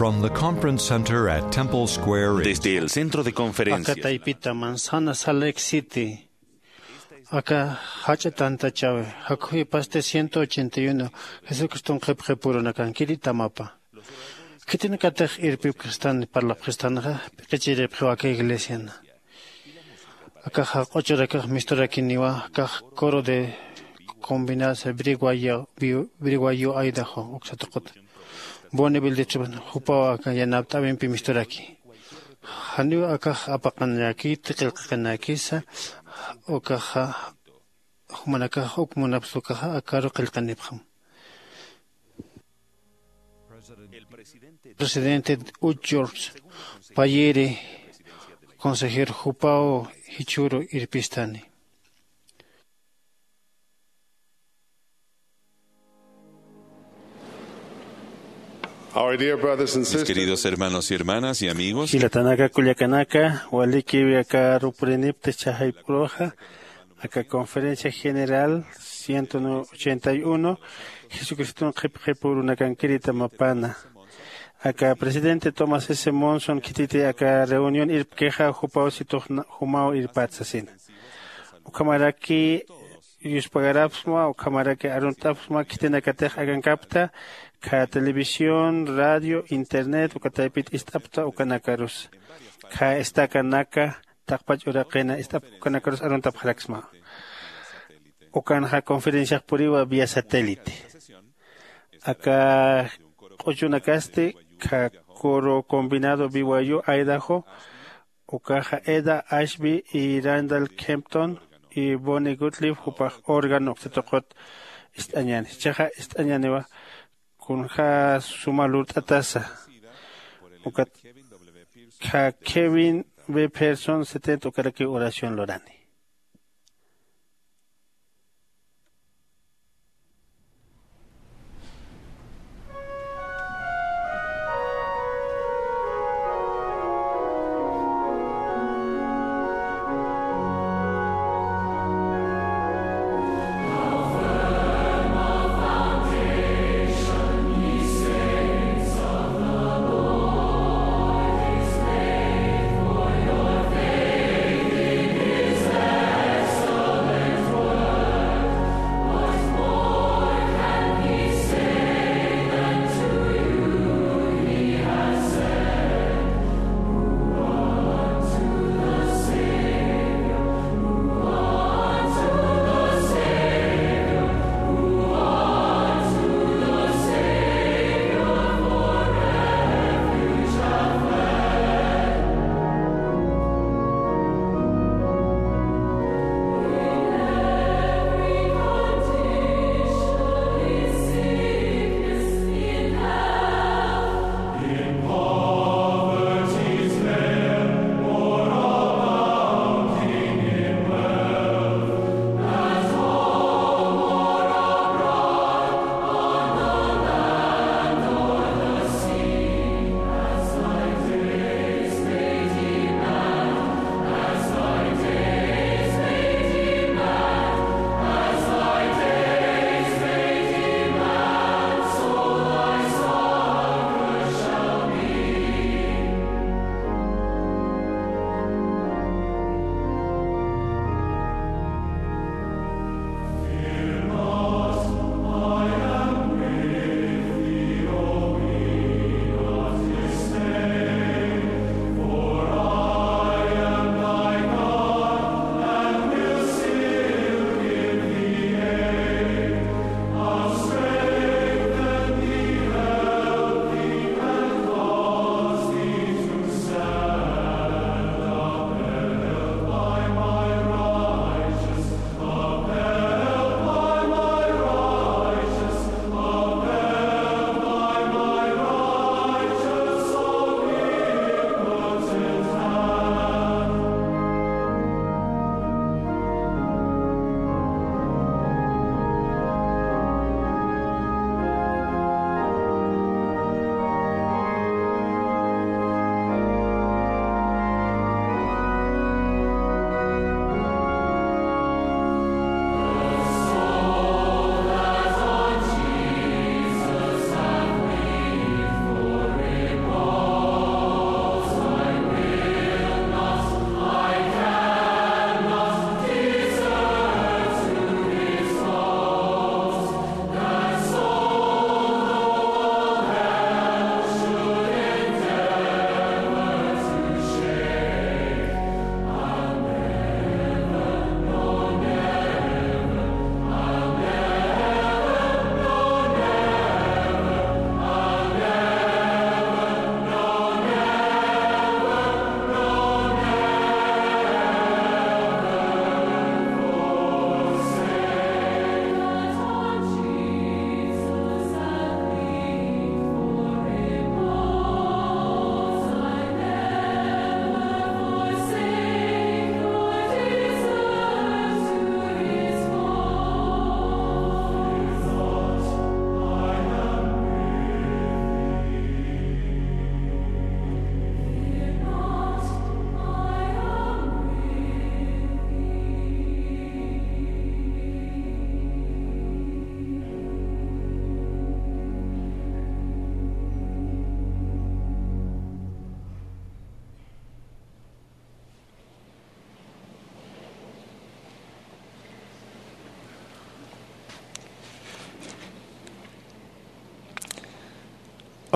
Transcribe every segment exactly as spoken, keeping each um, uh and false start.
From the conference center at Temple Square in Desde el centro de conferencias. Aka taypita Manzana Salt Lake City. Aka jach'a tantachawi. Jakhuy pasti ciento ochenta y uno. Jesucriston qhipqipurunakankiri tamapa. Khitinakatix irpipkistan parlapkistanxa, p'iqichiripxiw aka iglesiana. Akaxa q'uchurakax misturakiniwa, akax coro de combinadas Briguayo, Briguayo Idaho, uksa tuquta. Bonneville Distrito, jupaw aka yanapt'äwimpi misturaki. Janiw akax apaqanakiti, qillqaqinakisa, ukaxa, jumanakax uk munapxi ukaxa, akaru qillqanipxam. Presidente George Payiri, consejero jupaw jichhüru irpistani. Our dear brothers and Mis sisters, queridos hermanos y hermanas y amigos, jilatanaka, kullakanaka, walikiw aka rupurinipta chhajayp'uruxa, aka Conferencia General ciento ochenta y uno, Jesucriston qhipqipurunakankiri tamapana. Aka presidente Thomas S. Monson khititi aka reunión irpkixa, jupaw situx na-, jumaw irpat sasina. Ukhamaraki yuspagarapxsma, ukhamaraki arunt'apxsma, khitinakatix akankapta, kha televisión, radio, internet, uka taypit ist'apta, ukanakarus. Kha estacanaka, taqpach uraqina, ist'ap-, ukanakarus aruntapxaraksma. Ukanxa conferenciax puriwa vía satélite. Aka q'uchunakasti, kha coro combinado B Y U Idaho, ukaxa Eda Ashby y Randall Kempton y Bonnie Gottlieb, jupax órgano uksa tuqut ist'añäni. Jichhaxa ist'añäniwa kunja suma lurt'atasa. Ukat kha Kevin B. Pearson setenta ukarakiw oración lurani.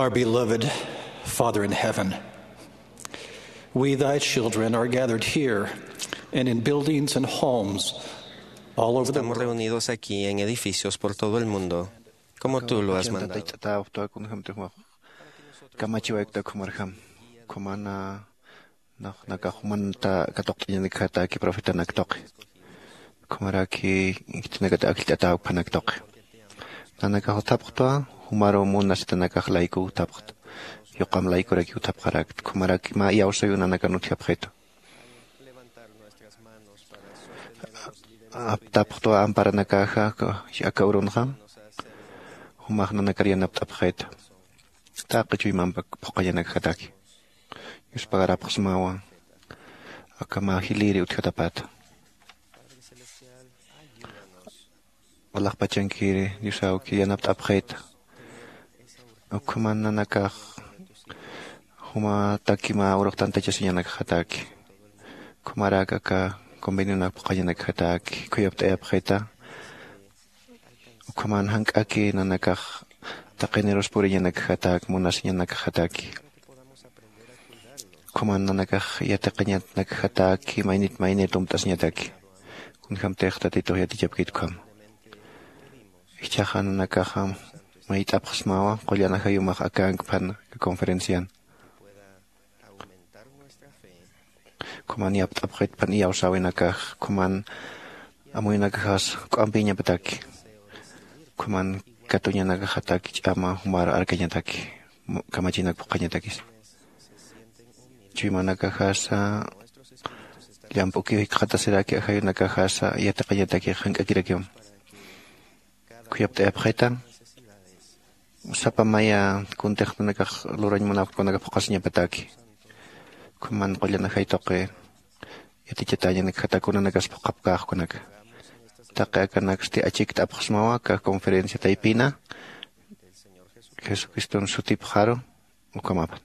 Our beloved Father in heaven, we, thy children, are gathered here and in buildings and homes all over the Estamos world. Reunidos aquí en edificios por todo el mundo, como tú lo has mandado. Kamachiwaykuta khumarjam, khumana naqnakax jumanta katuqt'añanakjataki profetanak tuqi. Khumaraki khitinakata akllt'ataw phanak tuqi. Nanakax uthapxtwa, jumaru munasitanakax layku uthapxta. Yuqam laykuraki uthapxarakta. Khumaraki mä iyawsayu nanakan utjapxitu. Aptapxtwa amparanakaxa aka urunxa. Jumax nanakar yanapt'apxita. Taqi chuymampak phuqañanakjataki. Yuspagarapxsmawa. Aka mä jiliri utjatapata. Alaxpachankiri Diosawki yanapt'apxita. Ukhuman nanakax jumataki mä urux tantachasiñanakjataki. Khumarak aka convenionak phuqañanakjataki khuyapt'ayapxita. Ukhaman jank'aki nanakax taqinirus puriñanakjatak, munasiñanakjataki. Ukhaman nanakax yatiqiñanakjataki, maynit maynit umt'asiñataki. Kunjamtix Tatitux yatichapkit ukham. Jichhaxa nanakaxa mayt'apxsmawa, qullan ajayumax akank phan conferencian. Khuman yapt'apxit phan iyawsäwinakax, khuman amuyunakaxas k'ampiñapataki, khuman katuñanakaxataki ch'ama jumar arkañataki, mu-, kamachinak phuqhañatakis. Chuymanakaxasa llamp'ukiw jikxatasiraki, ajayunakaxasa yatiqañataki jank'akirakiw. Khuyapt'ayapxita, sapa maya kuntix nanakax lurañ munapxkunaka phuqhasiñapataki. Khuman qullan ajay tuqi yatichatañanakjata kunanakas phuqhapkäx kunaka. Taqi akanaksti achikt'apxsmawa, aka conferencia taypina Jesucriston sutipxaru, ukhamapan.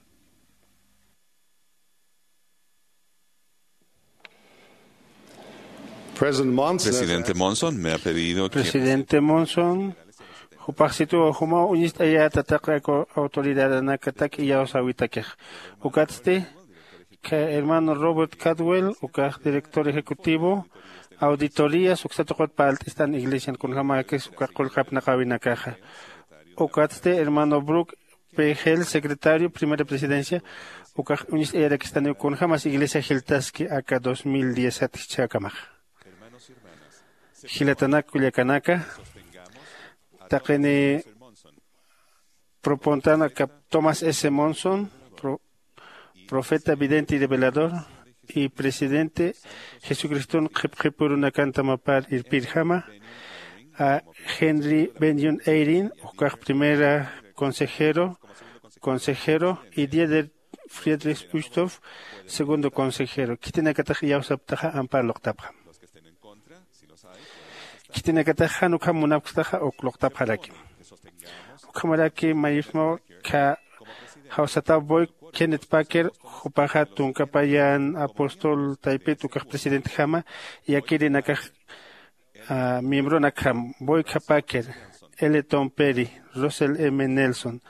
President Monson has Presidente asked Monson me ha pedido que Presidente Monson, jupaxsituw jumaw uñist'ayäta taqi autoridadanakatak iyawsäwitakix. Ukatsti, ka hermano Robert Cadwell, ukax director ejecutivo, auditorías, uksa tuqut parlt'istan iglesian kunjamäkis uka qullqi apnaqäwinakaxa. Ukatsti, hermano Brook P. Hale, secretario, primera presidencia, ukax uñist'ayarakistaniw kunjamas iglesia jiltaski aka dos mil diez jichhakamax. Jilatanak kullakanaka, taqini propontan aka Thomas S. Monson, pro-, profeta, vidente y revelador, y presidente Jesucriston qhipqhipürunakan tamapar irpirjama, a Henry Bennion Eyring, ukax primera consejero, consejero, y Dieter Friedrich Uchtdorf, segundo consejero. Khitinakatax iyawsaptaxa ampar luqtapxam. Khitinakatax jan ukham munapkstaxa uk luqtapxaraki. Ukhamaraki mayipsmaw kha jawsataw Boyd Kenneth Packer, jupaxa tunka payan apóstol taypit ukax presidentjama, yakirinakax, ah, miembronakjam, Boyd K. Packer, L. Tom Perry, Russell M. Nelson,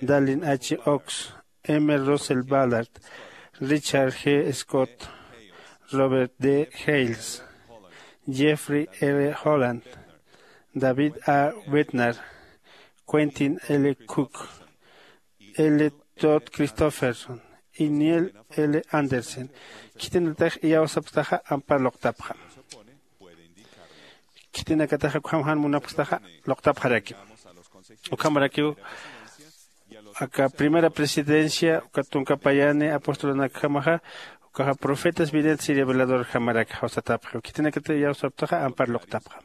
Dallin H. Oaks, M. Russell Ballard, Richard G. Scott, Robert D. Hales, Jeffrey R. Holland, David A. Bednar, Quentin L. Cook, L. Todd Christofferson, y Neil L. Andersen. Khitinatax iyawsapstaxa ampar luqtapxam. Khitinakataxa ukham jan munapkstaxa luqtapxaraki. Ukhamarakiw aka primera presidencia, uka tunka payani apostolanakjamaxa, ukaxa profetas, videntes y reveladorjamarak jawsatapxiw. Khitinakatax iyawsaptaxa ampar luqtapxam.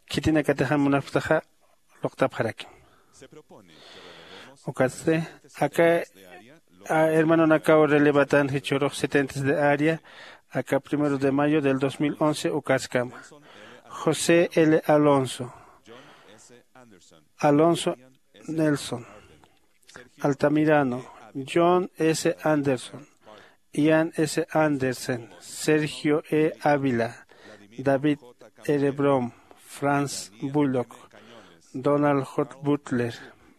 Khitinakatax jan munapkstaxa luqtapxaraki. Ukatsti, aka, a, hermanonakaw relevatan jichhürux setentes de área, aka primero de mayo del dos mil once ukaskama. José L. Alonso, Alonso Nelson, Altamirano, John S. Anderson, Ian S. Andersen, Sergio E. Ávila, David R. Brom, Franz Bullock, Donald J. Butler,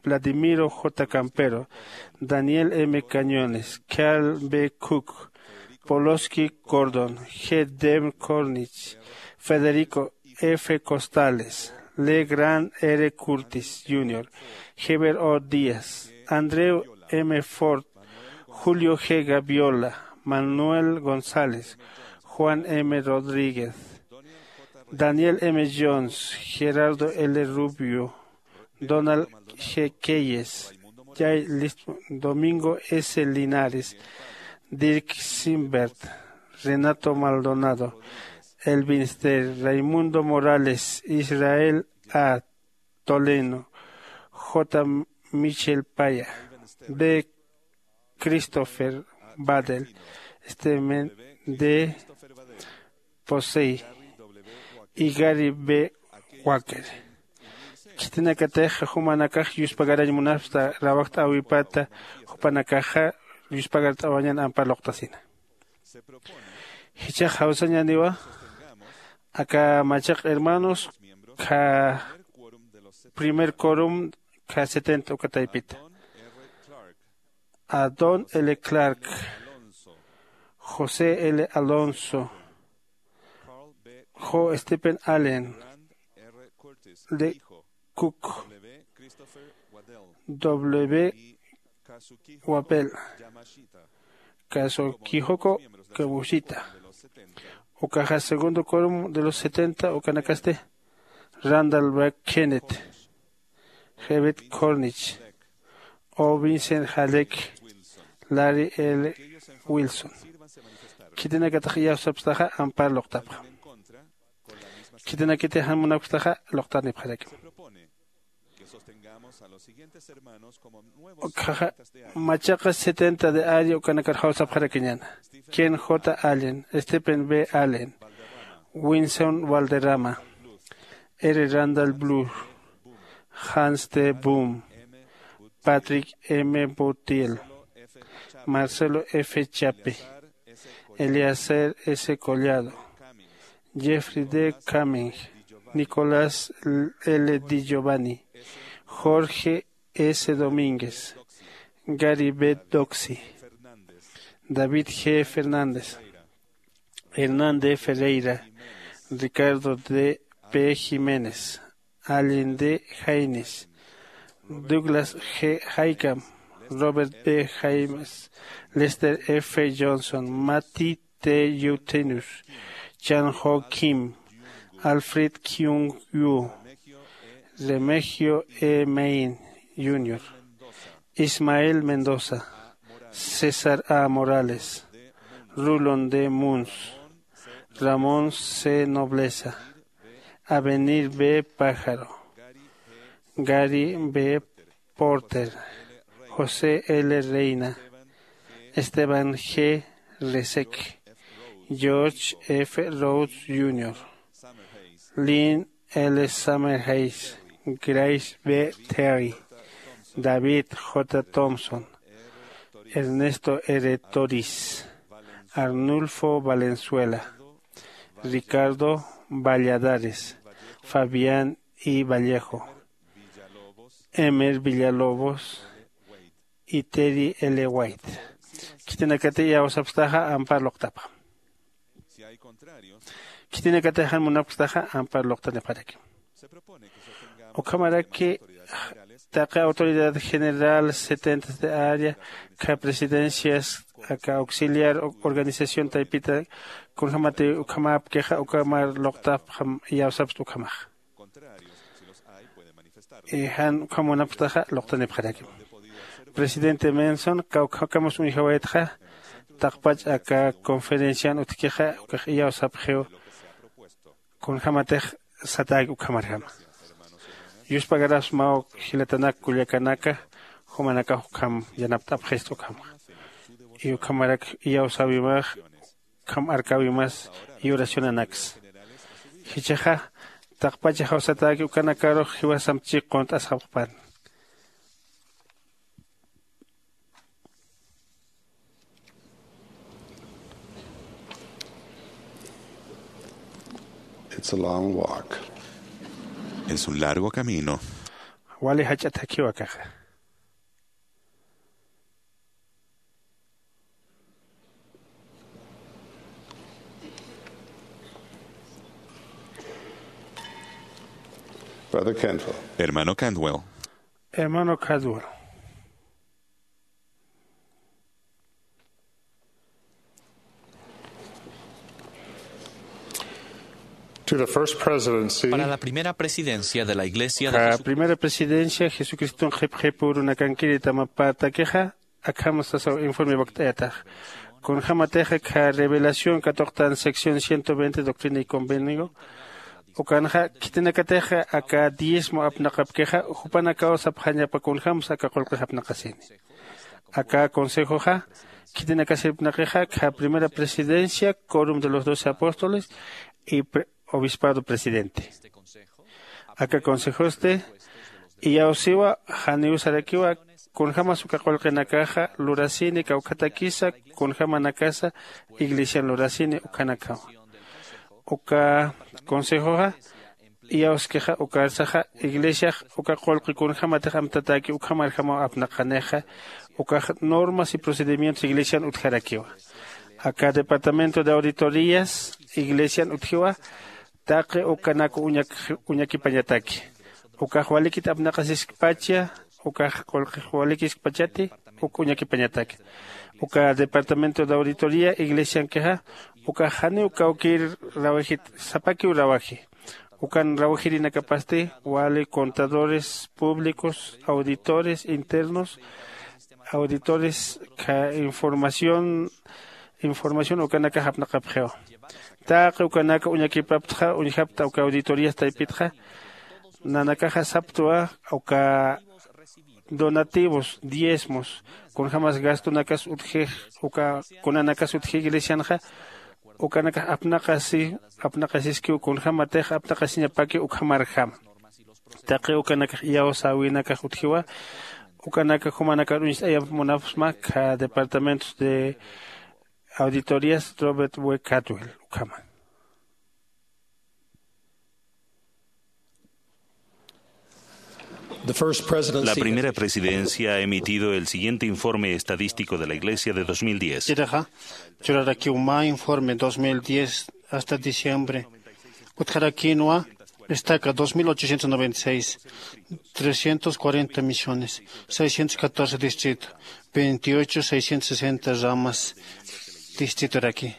Vladimiro J. Campero, Daniel M. Cañones, Carl B. Cook, Poloski Gordon, G. Dem Cornich, Federico F. Costales, Legrand R. Curtis junior, Heber O. Díaz, Andrew M. Ford, Julio G. Gaviola, Manuel González, Juan M. Rodríguez, Daniel M. Jones, Gerardo L. Rubio, Donald G. Keyes, Jay List, Domingo S. Linares, Dirk Simbert, Renato Maldonado, Elvin Ster, Raimundo Morales, Israel A. Toleno, J. Michel Paya, B. Christopher Badel, Steven D. Posey, y Gary B. Wacker. Khitinakatix jumanakax yuspagarañ munapxta rawajt'äwipata, jupanakaxa yuspagart'awañan ampar luqtasina. Jichhax jawsañäniwa aka machaq hermanos kha primer quórum kha setenta uka taypita. Adon L. Clark, José L. Alonso, Jo Stephen Allen, D. Cook, W. Wappel, Kazuhiko Kamoshita. Ukaxa segundo quórum de los setenta ukanakasti Randall B. Kenneth, Herbert Cornish, O. Vincent Halleck, Larry L. Wilson. Khitinakatix iyawsapxtaxa ampar luqtapxam. Khitinakatix jan munapxtaxa luqtanipxarakim. Ukhaxa machaqa setenta de área ukanakar jawsapxarakiñäna. Ken J. Allen, Stephen B. Allen, Winston Valderrama, R. Randall Bluth, Hans T. Boom, Patrick M. Boutiel, Marcelo F. Chape, Eliezer S. Collado, Jeffrey D. Cummings, Nicolás L. Di Giovanni, Jorge S. Domínguez, Gary B. Doxy, David G. Fernández, Hernán D. Ferreira, Ricardo D. P. Jiménez, Allen D. Haynes, Douglas G. Higham, Robert B. James, Lester F. Johnson, Matty T. Eutenus, Chan Ho Kim, Alfred Kyung Yu, Remegio E. Main junior, Ismael Mendoza, César A. Morales, Rulon D. Munz, Ramón C. Nobleza, Avenir B. Pájaro, Gary B. Porter, José L. Reina, Esteban G. Resek, George F. Rhodes junior, Lynn L. Summerhayes, Grace B. Terry, David J. Thompson, Ernesto R. Toris, Arnulfo Valenzuela, Ricardo Valladares, Fabián I. Vallejo, Emer Villalobos y Terry L. White. Khitinakatix iyawsapxtaxa ampar luqtapxam. Khitinakatix jan munapxtaxa ampar luqtanipxarakim. Ukhamaraki taqi autoridad general setenta de área, kha presidencias, aka auxiliar organización taypita, kunjamati ukhamäpkixa ukamar luqtapxam, iyawsapxta ukhamaxa. Jan ukham munapxtaxa luqtanipxarakim. Presidente Monson, kawkhakamus uñjawaytxa taqpach aka conferencian utjkixa ukax iyawsapxiw. Kunjämatix satäki ukhamarjama. Yuspagarapxsmaw jilatanak kullakanaka, jumanakax ukham yanapt'apxista ukhamax. Y ukhamarak iyawsäwimax, ukham arkäwimas y oracionanaksa. Jichhaxa taqpach jawsatäki ukanakarux jiwasamp chik qunt'asxapxpan. It's a long walk. Es un largo camino. Wali jach'a thakhiw akaxa. Brother Cantwell. Hermano Cantwell. Hermano Cantwell. To the first presidency. Para la primera presidencia de la Iglesia de Jesucristo. Primera presidencia Jesucriston qhipqhipürunakankiri tamapätakixa, akham sasaw informe wakt'ayatax. Kunjämatix akha Revelación katuqtan sección ciento veinte, Doctrina y Convenio, ukanxa khitinakatix aka diezmo apnaqapkixa, jupanakaw sapxañapa kunjämsa aka qullqix apnaqasini. Aka consejoxa, khitinakasipnaqixa, akha Primera Presidencia, Quórum de los Doce Apóstoles y pre-, Obispado Presidente. Aka consejosti iyawsiwa, janiw sarakiwa, kunjämas uka qullqinakaxa lurasini kawkhatakisa, kunjämanakasa iglesian lurasini ukhanakawa. Uka consejoxa iyawskixa, ukarsaxa iglesiax uka qullqi kunjämatix amtatäki ukhamarjamaw apnaqanixa, ukax normas y procedimientos iglesian utjarakiwa. Aka Departamento de Auditorías iglesian utjiwa, taqi ukanak uñak-, uñakipañataki. Ukax walikit apnaqasiskpacha, ukax qullqix walikiskpachati, uk uñakipañataki. Uka Departamento de Auditoría iglesiankixa, ukax janiw kawkïr rawajit, sapakiw rawaji. Ukan rawajirinakapasti wali contadores públicos, auditores internos, auditores ka información, información ukanakax apnaqapxiwa. Taqi ukanaka uñakipaptxa, uñjapta uka auditorías taypitxa, nanakaxa saptwa uka donativos, diezmos, kunjämas gastonakas utjix, uka kunanakas utji iglesianxa, ukanakax apnaqasi, apnaqasiskiw kunjämatix apnaqasiñapaki ukhamarjam. Taqi ukanakax iyawsäwinakax utjiwa, ukanaka jumanakar uñst'ayamp munapxsma akha Departamentos de Auditorías Robert W. Cantwell ukhama. The first presidency. La primera presidencia ha emitido el siguiente informe estadístico de la Iglesia de dos mil diez. Chiraxa, churarakiw mä informe dos mil diez hasta diciembre. Utjarakïnwa, estaca dos mil ochocientos noventa y seis, trescientos cuarenta misiones, seiscientos catorce distrito, veintiocho seiscientos sesenta ramas distritoraki.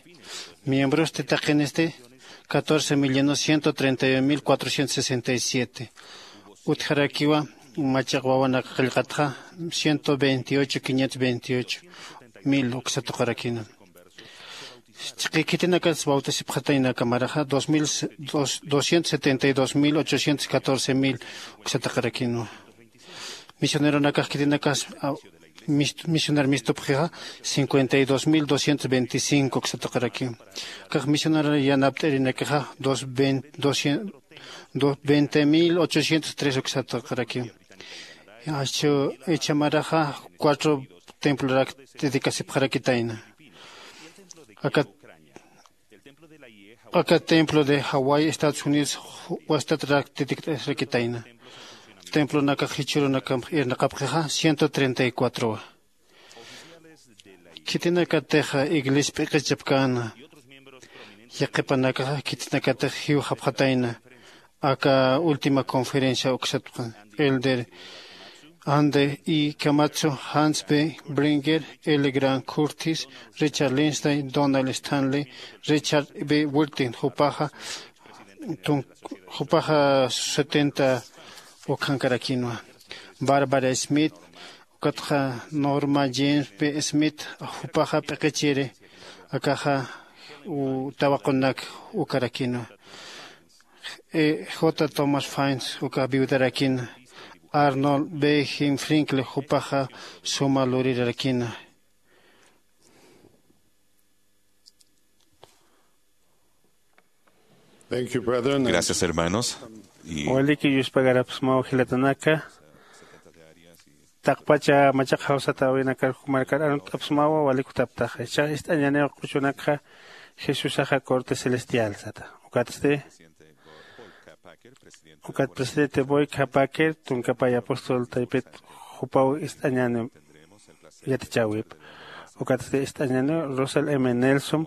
Miembrosti taqinisti, catorce millones ciento treinta y un mil cuatrocientos sesenta y siete. Utjarakiwa, machaq wawanak qillqatxa, ciento veintiocho quinientos veintiocho mil uksa tuqarakïna. Chiqi khitinakas bautisipxatayna kamaraxa, dos mil, dos, doscientos setenta y dos mil ochocientos catorce mil uksa tuqarakïnwa. Misioneronakax khitinakas, a, mis-, misioner mistupxixa, cincuenta y dos mil doscientos veinticinco uksa tuqarakïn. Kax misionero yanapt'irinakixa, dos veinte, doscientos, dos, veinte mil ochocientos tres uksa tuqarakïn. Achu icha maraxa cuatro templorak dedicasipxarakitayna. Aka, aka templo de Hawái, Estados Unidos, wastatrak dedicasipxarakitayna. Templonakax jichhürunakamp irnaqapxixa ciento treinta y cuatro. Khitinakatix iglesia p'iqichapkäna, yaqhipanakaxa khitinakatix jiwxapxatayna, aka última conferencia uksatpxan, Elder Andy E. Camacho, Hans B. Bringer, L. Grant Curtis, Richard Lindsay, Donald Stanley, Richard B. Wilton, jupaxa, tun-, jupaxa setenta ukhankarakïnwa. Barbara Smith, ukatxa Norma James B. Smith, jupaxa p'iqichiri, akaxa u-, tawaqunak ukarakïnwa. E, J. Thomas Faines, uka viudarakïna, Arnold B. Jim Franklin, jupaxa suma lurirarakïna. Thank you, brethren. Gracias, hermanos. Y waliki yuspagarapxsmaw jilatanaka. Taqpacha machaq jawsatäwinakar jumarkar aruntt'apxsmawa, wali kutaptaxa. Ichax ist'añaniw q'uchunakxa Jesusaxa corte celestial sata. Ukatsti Ukat presidente Boyka Packer tunkapay apóstol taypit jupaw ist'añäni yatichäwip. Ukatsti ist'añäni Russell M Nelson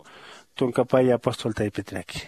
tunkapay apóstol taypitraki.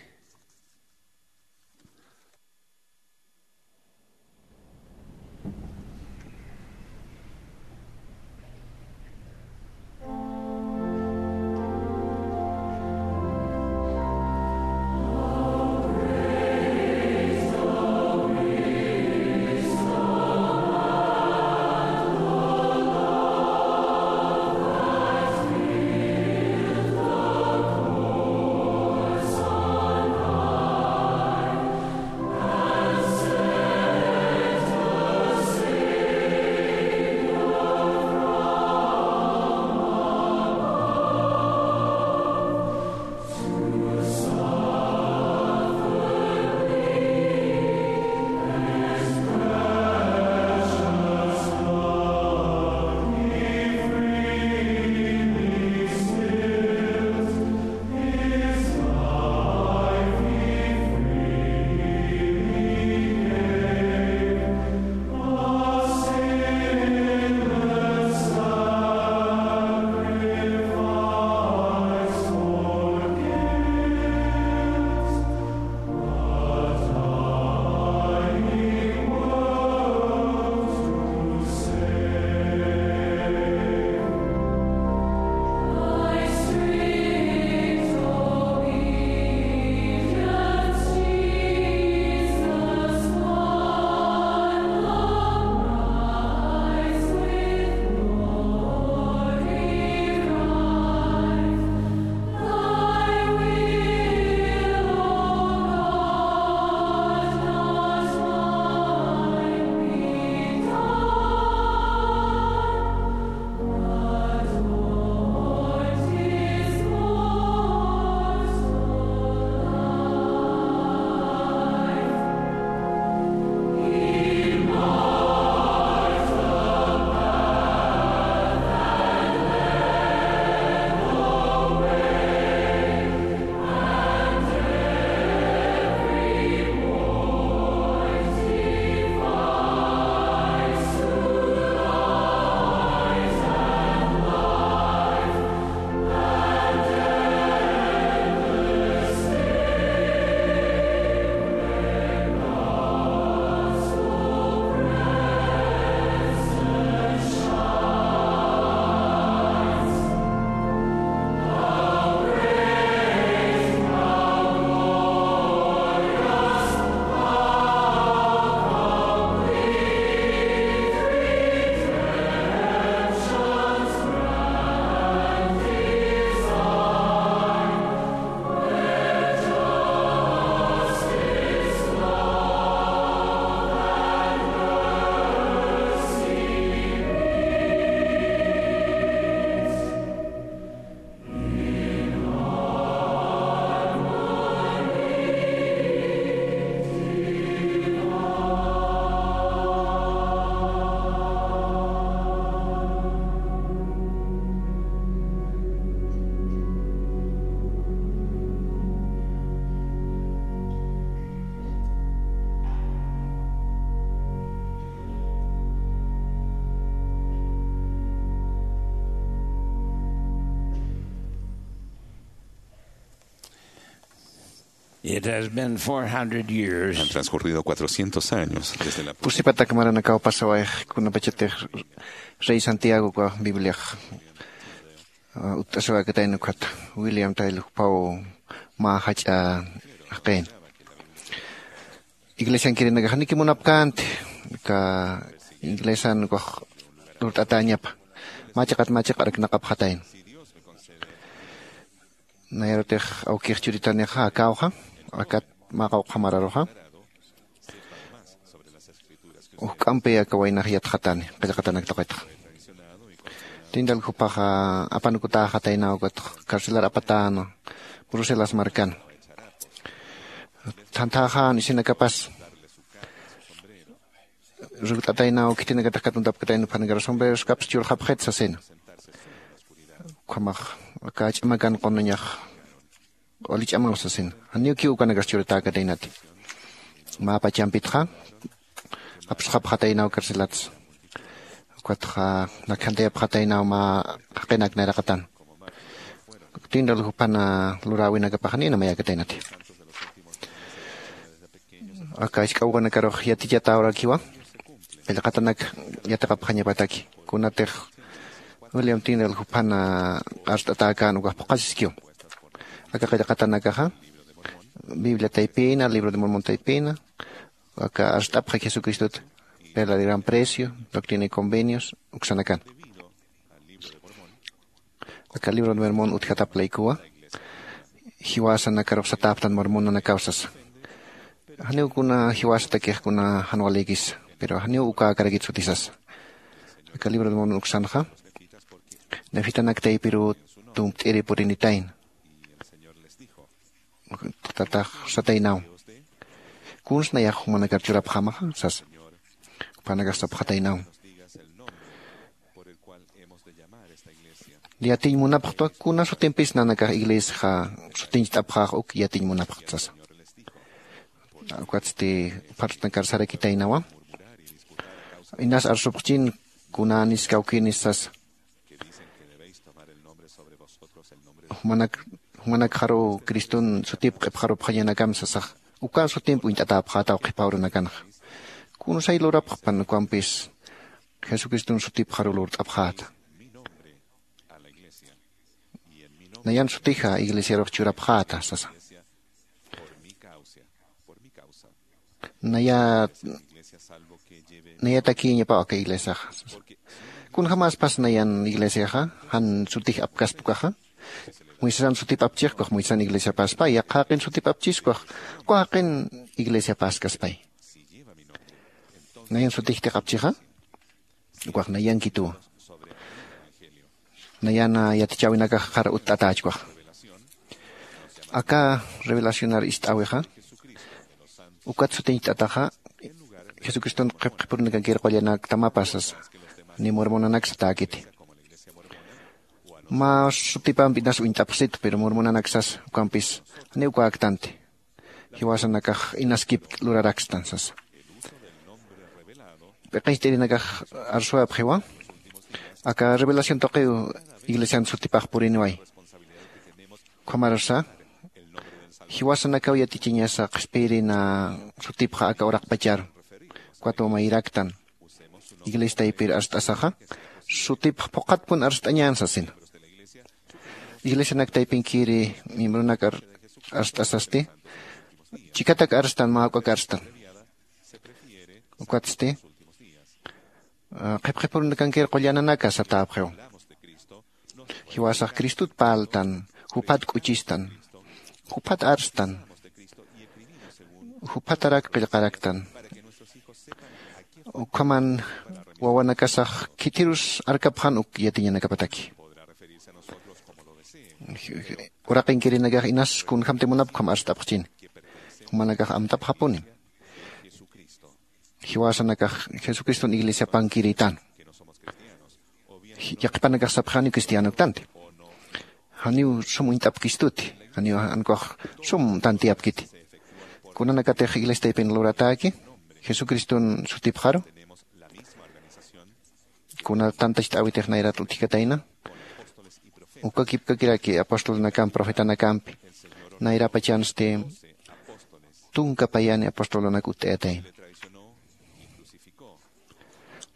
It has been four hundred years. Han transcurrido cuatrocientos años desde la... Pusipatak maranakaw pasawayx kunapachatix rey Santiago uka Bibliax, ah, utt'asiwakatayna ukhata William Tyler jupaw mä jach'a jaqin. Iglesiankirinakax niki munapkänti, ka iglesian ukax lurt'atäñapa. Mä chiqat mä chiqarak naqapxatayna. Nayarutix awkix churitanixa akawxa, akat mä qawqha mararuxa. Juk'ampi aka waynax yatxatani, qillqatanak tuqitxa. Tindal jupaxa apanukutäxatayna ukat carcelar apatäna Bruselas markan. Thanthaxän isinakapas. Rukt'ataynaw khitinakatix katuntapkatayna, phanakar sombreroskapas churxapxit sasina. Ukhamax aka ch'amakan qunuñax q'uli ch'amaw sasina. Janiw kiw ukanakas churatäkataynati. mä pachampitxa apsxapxataynaw carcelatsa. Ukatxa nakjantayapxataynaw mä jaqinak nayraqatan. Tinral jupana luräwinakapaxnïna mayakataynati. Aka isk'awkanakarux yatichatäwarakiwa qillqatanak yatiqapxañapataki. Kunatix william tinral jupana arst'atäkän ukax phuqhasiskiw. Aka qillqatanakaxa biblia taypina, libro de mormon taypina, aka arst'apxi jesucristota, perla de gran precio, doctrina y convenios uksanakan. Aka libro de mormon utjatap laykuwa jiwasanakarux satäptan mormonanakaw sasa. Janiw kuna jiwasatakix kuna jan walïkisa, pero janiw ukäkarakit sutisasa. Aka libro de mormon uksanxa nefitanak taypiruw tumpt'iri purinitayna. Tatax sataynaw, kuns nayax jumanakar churapxämaxa sasa. Jupanakax sapxataynaw, yatiñ munapxtwa kuna sutimpis nanakax iglesiaxa sutincht'apxäx uk yatiñ munapxt sasa. Ukatsti phartnakar sarakitaynawa, inas arsupxchin kunanis kawkinis sasa. Jumanak jumanakxaruw criston sutip q'ipxarupxañanakam sasax, uka sutimp uñt'atäpxätaw qhipa urunakanxa. Kunsay lurapxpan ukampis jesucriston sutipxaruw lurt'apxäta. Nayan sutixa iglesiarux churapxäta sasa. Naya nayatakïñapaw aka iglesiaxa. Kunjämäspas nayan iglesiaxa jan sutix apkaspa ukaxa? Moisesan sutip apchixkuax moisesan iglesiapäspay yaqha jaqin sutip apchiskwax, uka jaqin iglesiapäskaspay. Nayan sutixtix apchixa ukax nayankituwa. Nayana yatichäwinakax qhara utt'atächkwax. Aka revelacionar ist'äwixa ukat sutiñcht'ataxa jesucriston qhipqhipurunakankir qullanaktamapa sasa. Ni mormonanak satäkiti mä sutipampi inas uñt'apxsitu pero mormonanak sasa ukampis janiw ukäktanti. Jiwasanakax inaskip lurarakstan sasa. P'iqicht'irinakax arsuwapxiwa aka revelación tuqiw iglesian sutipax puriniway. Ukhamarsa jiwasanakaw yatichiñasa qhispiyirina sutipxa aka uraqpacharu. Ukat wamayraktan iglesia taypir arst'asaxa sutipx phuqhatpun arst'añän sasina. Iglesianak taypinkiri miembronak arst'asasti chikatak arstan mä juk'ak arstan. Ukatsti qhipqhipurunakankir qullananaka satäpxiw. Jiwasax cristot parltan, juphat k'uchistan, juphat arstan, juphatarak qillqaraktan. Ukhaman wawanakasax khithirus arkapxan uk yatiñanakapataki. Uraqinkirinakax inas kunjämti munapkham arst'apxchini. Jumanakax amtapxapunim. Jiwasanakax jesucriston iglesiapankiritan. Yaqhipanakax sapxani cristianoktanti. Janiw sum uñt'apkistuti. Janiw ankax sum tantiyapkiti. Kunanakatix iglesia taypin luratäki jesucriston sutipxaru, kuna tantacht'äwitix nayrat utjkatayna. Uka kipkakiraki apostolnakamp profetanakampi nayrapachansti tunka payani apostolnak utt'ayatayna.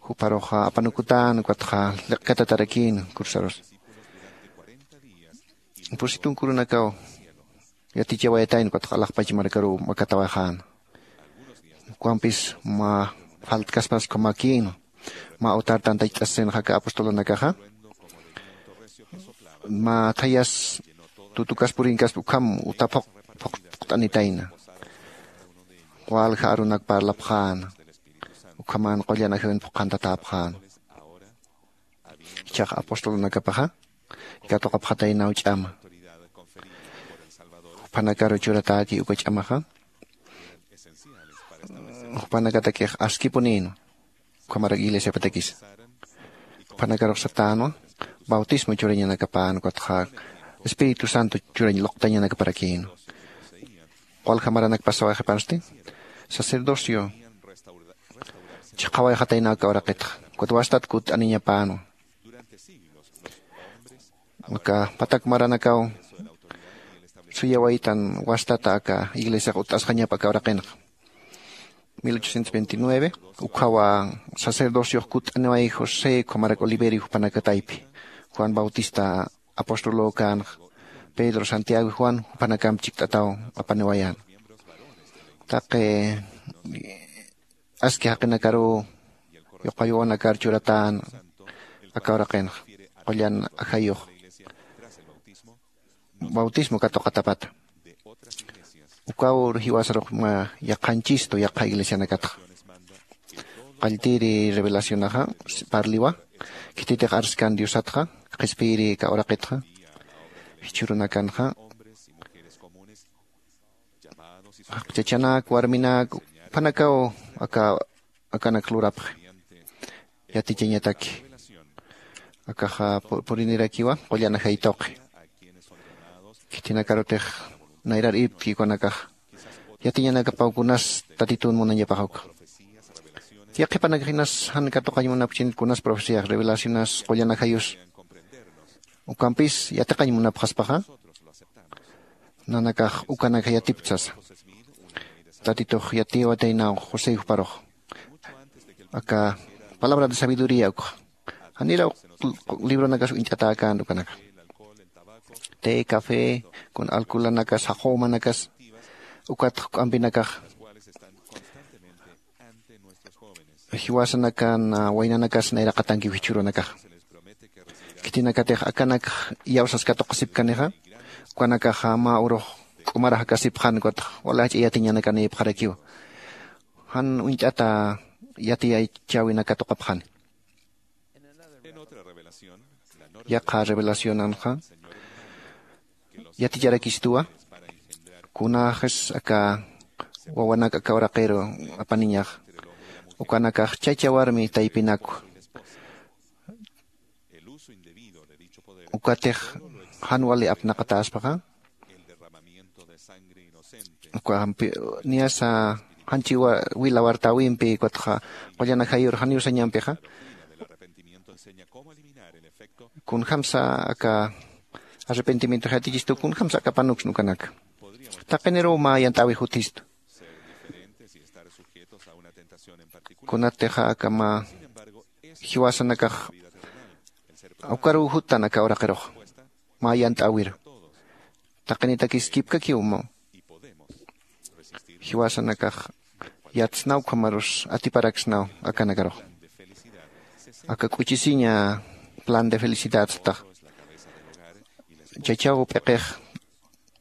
Juparuxa apanukutän ukatxa liqkatatarakïn kursarus. Pusitunkurunakaw yatichawayatayna ukatxa alaxpach markaruw makatawayxäna. Ukampis mä faltkaspas ukhamäkïna. Mä utar tantacht'asisinaxa aka apostolunakaxa mä thayas tutukas purinkaspa ukham uta phuqt'anitayna. Walja arunak parlapxäna. Ukhaman qullan ajawin phuqhantatäpxäna. Ichhax apostolunakapaxa katuqapxataynaw ch'ama. Juphanakaru churatäki uka ch'amaxa jupanakatakix askipunïnwa. Ukhamarak iglesiapatakisa juphanakarux satänwa bautismo churañanakapän ukatxa espíritu santo churañ luqtañanakaparakïnwa. Walja maranak pasawayxipansti sacerdocio chiqawayxatayna aka uraqitxa. Kutwastat kut'aniñapänwa. Aka patak maranakaw suyawaytan wastata aka iglesiax ut'asxañapa aka uraqinxa. Mil ochocientos veintinueve ukhawa sacerdociox kut'aniway josé ukhamarak oliverio jupanakataypi. Juan bautista apostolokänxa. Pedro santiago juan jupanakamp chikt'ataw apaniwayän. Taqi aski jaqinakaruw yuqayawanakar churatän aka uraqinxa. Qullan ajayux bautismo katuqatapata. Ukaw jiwasarux mä yaqhanchistu yaqha iglesianakatxa. Qalltiri revelacionaxa parliwa khititix arskan diosatxa qhispiyiri aka uraqitxa jichhürunakanxa. Chachanak warminak jupanakaw aka akanak lurapxi. Yatichañataki akaxa purinirakiwa qullan ajay tuqi. Khitinakarutix nayrar irptki ukanakaxa yatiñanakapaw kunas tatitun munañapax uka. Yaqhipanakax inas jan katuqañ munapkchinit kunas profeciax revelacionas qullan ajayus ukampis yatiqañ munapxaspaxa nanakax ukanakax yatiptsasa. Tatitux yatiwataynaw josé juparux aka palabra de sabiduría ukxa. Janiraw libronakas uñt'atäkänti ukanaka. Te café kun alcoholanakas jaqüwmanakas ukat juk'ampinakax jiwasanakan waynanakas nayraqatankiw jichhürunakaxa. Khitinakatix akanakx iyawsas katuqasipkanixa ukanakaxa mä urux k'umarax jakasipxän ukatx wala jach'a yatiñanakanïpxarakiw. Jan uñt'ata yatiyachäwinak katuqapxani. Yaqha revelacionanxa yaticharakistuwa. Kunaxis aka wawanak aka uraqiru apaniñax ukanakax chacha warmi taypinakwa. Ukatix jan wali apnaqatäspaxa uka niyasa janchi wila wartäwimpi ukatxa qullan ajayur janiw sañampixa. Kunjämsa aka arrepentimientox yatichistu kunjämsa aka panuksna ukanaka. Taqiniruw mä yant'äwix utjistu. Kunatixa aka mä jiwasanakax ukaruw juttan aka uraqirux mä yant'äwiru. Taqinitakis kipkakiw mä jiwasanakax yatsnaw ukhamarus atiparaksnaw akanakarux. Aka k'uchisiña plan de felicidad tax chachaw p'iqix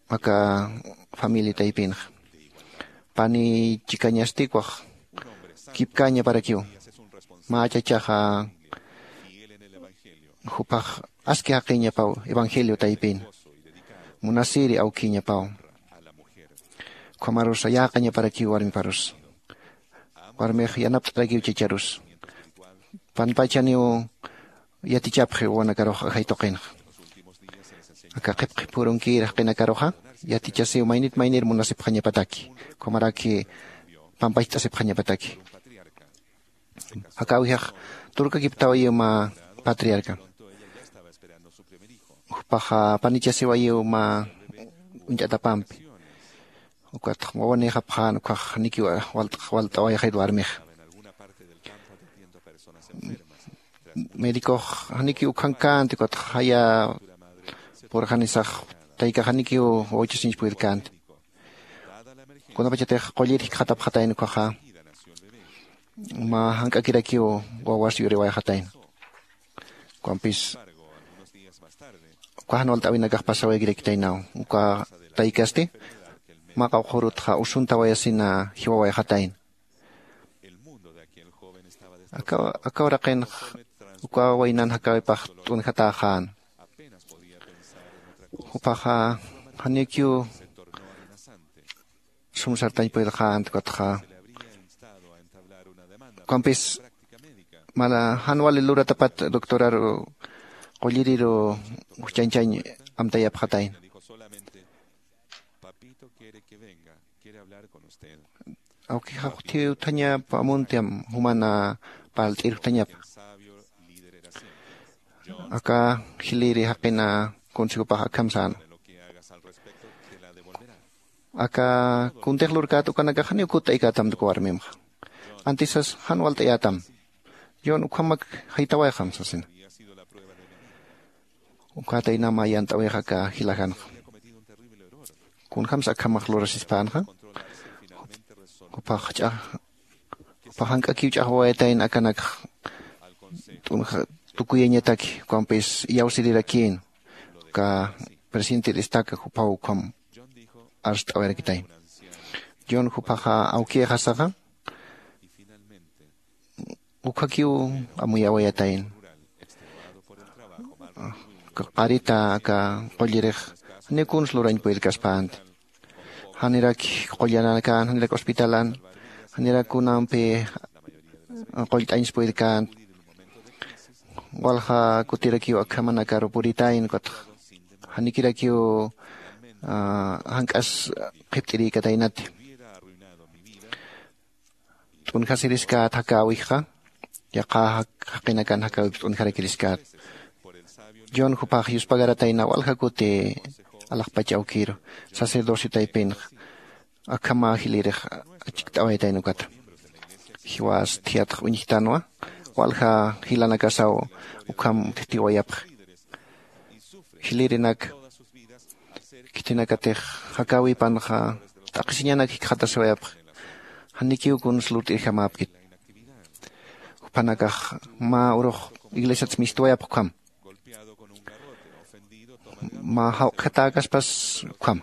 aka familia taypinxa pani chikañasti ukwax kipkäñaparakiw. Mä chachaxa jupax aski jaqiñapaw evangelio taypin munasiri awkiñapaw. Ukhamarusa yäqañaparakiw warmiparus warmix yanapt'arakiw chacharus panpachaniw yatichapxi wawanakarux ajay tuqinxa. Aka qhipqhi phurunkir jaqinakaruxa yatichasiw maynit maynir munasipxañapataki ukhamaraki pampacht'asipxañapataki. Jakäwixax turkakiptawayiw mä patriarca jupaxa panichasiwayiw mä uñt'atapampi. Ukatx wawanïxapxän ukhax janikiw walt'awayxit warmix. Médicox janikiw ukhankänti ukatx jaya purxanisax taykax janikiw wawchasiñch pudirkänti. Kunapachatix qullir jikxatapxatayna ukhaxa mä jank'akirakiw wawas yuriwayxatayna. Ukampis uka jan walt'äwinakax pasawaykirakitaynaw uka taykasti mä qawqhürutxa usuntawayasina jiwawayxatayna. Aka uraqinx uka waynan jakäwipax t'unjatäxän. Jupaxa janikiw sum sartañ pudirxänti ukatxa ukampis mala jan wali luratapat doctoraru qulliriru juchañchañ amtayapxatayna. Papito quiere que venga, quiere hablar con usted. Awkixa juthiw utjañapa amuntiam jumana parlt'ir juthañapa. Aka jiliri jaqina consejopax akham säna. Aka kuntix lurkät ukanakax janiw kutt'aykätam tuka warmimxa. Antisas jan walt'ayätam. John, ukhamak jaytawayxam sasina. Ukatayna mä yant'awixa aka jilajanxa. Kunjamsa akhamax lurasispänxa. Jupax ch'a jupax jank'akiw ch'axwawayatayna akanakxa. T'unxa tukuyañataki ukampis iyawsirirakïn. Uka presidente destaca jupaw ukham arst'awayarakitayna. John, jupaxa awkïxasaxa ukhakiw amuyawayatayna. Qarita aka qullirix janiw kuns lurañ puyirkaspänti. Janiraki qullanakän, janirak hospitalan, janirak kunampi qullt'añs puyirkänti. Walja kutirakiw akhamanakaru puritayna ukatxa janikirakiw jank'as qhipt'irïkataynati. T'unjasiriskät jakäwikxa yaqha jaqinakan jakäwipis t'unjarakiriskät. John, jupax yuspagaratayna walja kuti alaxpach awkïru sacerdocio taypinxa. Akhama jilirix achikt'awayatayna ukata. Jiwas thiyatx uñjtanwa walja jilanakasaw ukham utjtiwayapxi. Jilirinak khitinakatix jakäwipanxa t'aqhisiñanak jikxatasiwayapxi. Janikiw kuns lurt'irjamäpkit. Juphanakax mä urux iglesiatsa mistwayapxi ukham. Mä jawq'jatäkaspas ukham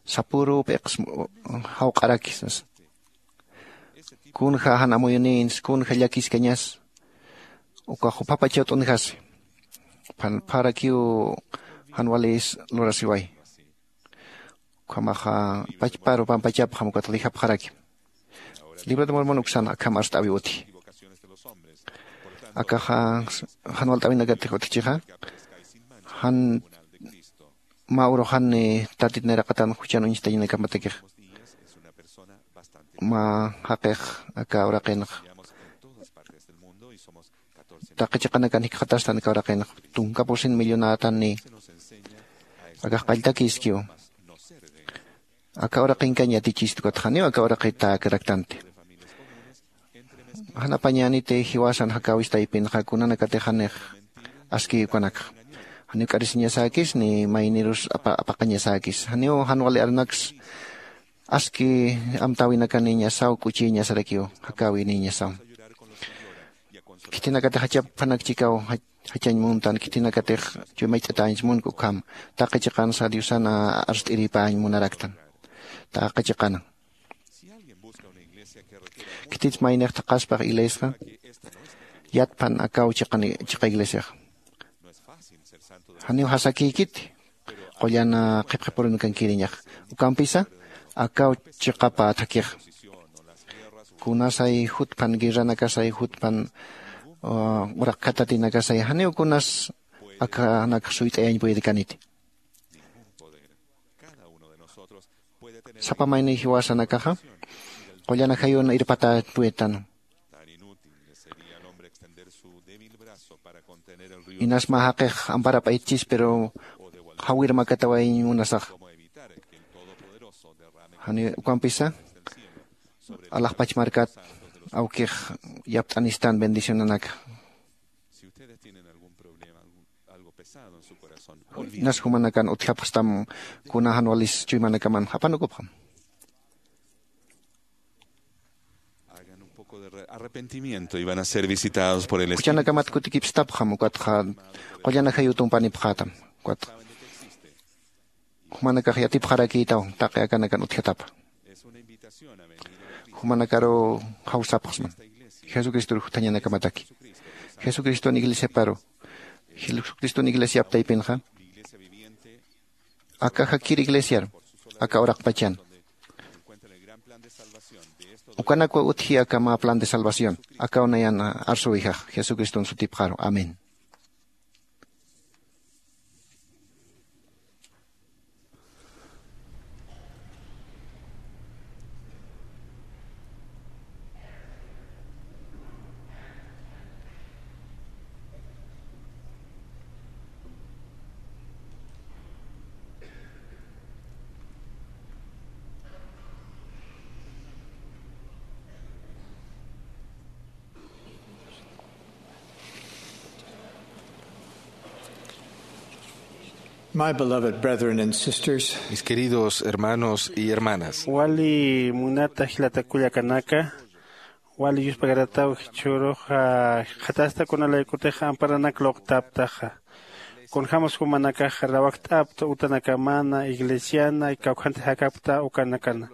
sapüru p'iqs jawq'araki sasa. Kunja jan amuyunïns kunja llakiskañas. Ukax juphapachaw t'unjasi. Phan pharakiw jan walis lurasiway. Ukhamaxa pachparu pampachapxam ukatx dijapxaraki. Libro de Mormon uksan akham arst'awi utji. Akaxa jan walt'awinakatix utjchixa jan mä urux jan tatit nayraqatan juchan uñstañanakamatix mä jaqix aka uraqinx taqi chiqanakan jikxatastan aka uraqinx tunka pusin millonätan ni akax qalltakïskiw. Aka uraqinkañ yatichistu ukatxa janiw aka uraqit täkiraktanti. Jan apañäniti jiwasan jakäwis taypinxa kunanakatix janix aski ukanakxa janiw k'arisiñasäkis ni maynirus apaqañasäkis janiw jan wali arunaks aski amtäwinakanïñasaw k'uchïñasarakiw jakäwinïñasaw. Khitinakatix jachapxanak chikaw jachañ muntan khitinakatix chuymacht'atäñs munk ukham taqi chiqansa diosan arst'iripäñ munaraktan. Taqi chiqanan khitits maynix thaqhaspax iglesxa yatphan akaw chiqa iglesiaxa. Janiw jasakïkiti qullan qhipqipurunkankiriñax ukampisa akaw chiqapa thakhixa. Kunasay jutpan guerranakasay jutpan uraqkhatatinakasay janiw kunas akhanakx suyt'ayañ puyirkaniti. Sapa mayniy jiwasanakaxa qullan ajayun irpatätpuytan. Inas mä jaqix amparap'aytchis pero jawir makatawayiñ munasaxa. Janiw ukampisa alaxpach markat awkix yapt'anistan bendicionanaka. Inas jumanakan utjapxstam kuna jan walis chuymanakaman apanukupxam. Hagan un poco de arrepentimiento y van a ser visitados por el Espíritu. Juchanakamat kutikipstapxam ukatxa qullan ajayu tumpanipxätam. Ukatxa jumanakax yatipxarakïtaw taqi akanakan utjatapa. Jumanakaruw jawsapxsman jesucristor juthañanakamataki. Jesucriston iglesiaparu jesucriston iglesiap taypinxa aka jakir iglesiar aka uraqpachan ukanakwa utji aka mä plan de salvación. Akaw nayan arsuwijax jesucriston sutipxaru amén. My beloved brethren and sisters, mis queridos hermanos y hermanas, wali munata jilata kullakanaka, wali yuspagarataw jichhürux qhatasta kunalaykutix amparanak luqtaptaxa. Kunjämas jumanakax rawakt'apta utanakamana iglesiana kawkhanti jakapkta ukanakana.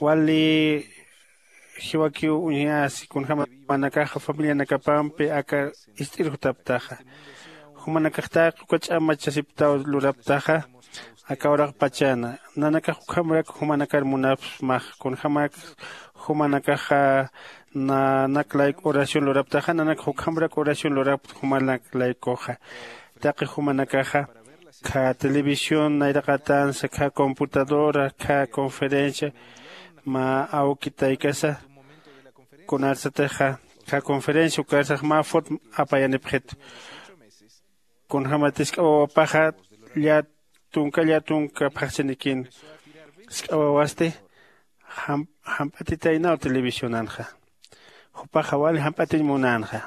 Wali jiwakiw uñjasi kunjämas jumanakaxa familianakapampi aka ist'ir jutaptaxa. Jumanakaxtaq uka ch'amachasiptaw luraptaxa. Aka uraqpachana nanakax ukhamrak jumanakar munapsmax. Kunjämak jumanakaxa nanak layku oración luraptaxa nanakax ukhamrak oración lurapta jumanak laykuxa. Taqi jumanakaxa kha televisión nayraqatansa kha computadora kha conferencia mä awki taykasa kunarsatixa kha conferencia ukarsax mä fot apayanipxitu. Kunjämat isk'a wawapaxa llätunka llätunka phaxchinikïn. Isk'a wawasti jamp'atitaynaw televisionanxa. Jupaxa wali jamp'atiñ munänxa.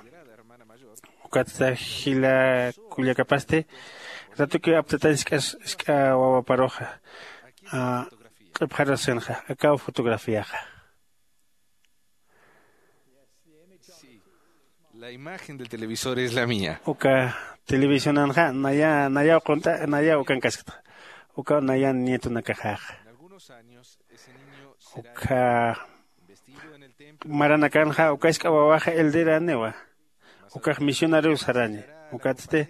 Ukatsa jila kullakapasti ratukiw aptatañ isk'a wawaparuxa q'ipxarasinxa akaw fotografiaxa. La imagen del televisor es la mía. Uka televisionanxa naya nayaw qunt'a nayaw ukankaskta. Ukaw nayan nietonakaxaxa. Ukha maranakanxa uka isk'a wawaxa elderaniwa. Ukax misionariw saraña. Ukatsti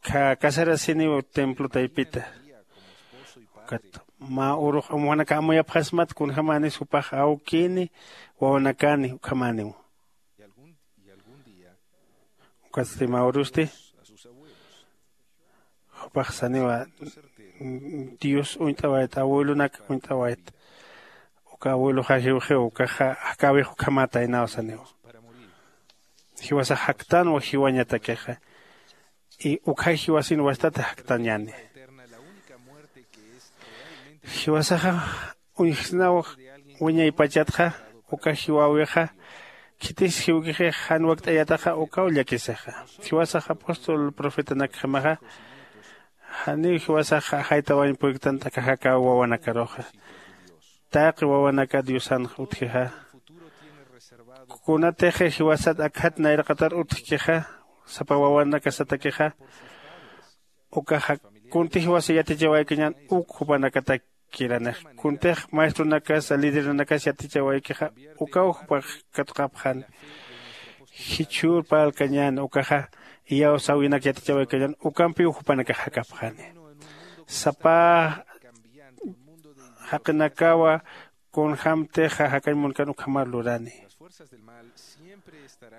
kha casarasiniw templo taypita. Ukat mä urux amujanaka amuyapxasmat kunjämanis jupax awkini wawanakani ukhamäniw. Ukatsti mä urusti jupax saniwa dios uñt'awayt abuelonak uñt'awayt. Uka abueloxa jiwxiw ukaxa jakäwix ukhamätaynaw saniwa. Jiwasax jaktanwa jiwañatakixa. Y ukhay jiwasin wastat jaktañäni. Jiwasaxa uñjsnaw wiñaypachatxa uka jiwäwixa khitis jiwkixix jan wakt'ayataxa ukaw llakisixa. Jiwasax apóstol profetanakjamaxa janiw jiwasax jaytawañ puyktan t'akaxakaw wawanakaruxa. Taqi wawanaka diosanx utjixa. Kunatix jiwasat akjat nayraqatar utjkixa sapa wawanakasatakixa. Ukaxa kunti jiwasa yatichawaykañan uk jupanakatakkiranix kuntix maestronakasa lideranakas yatichawaykixa ukaw jupax katuqapxani. Jichhür parlkañäni ukaxa iyawsäwinak yatichawaykañan ukampiw jupanakax jakapxani. Sapa jaqinakawa kunjämtixa jakañ munkan ukhamar lurani.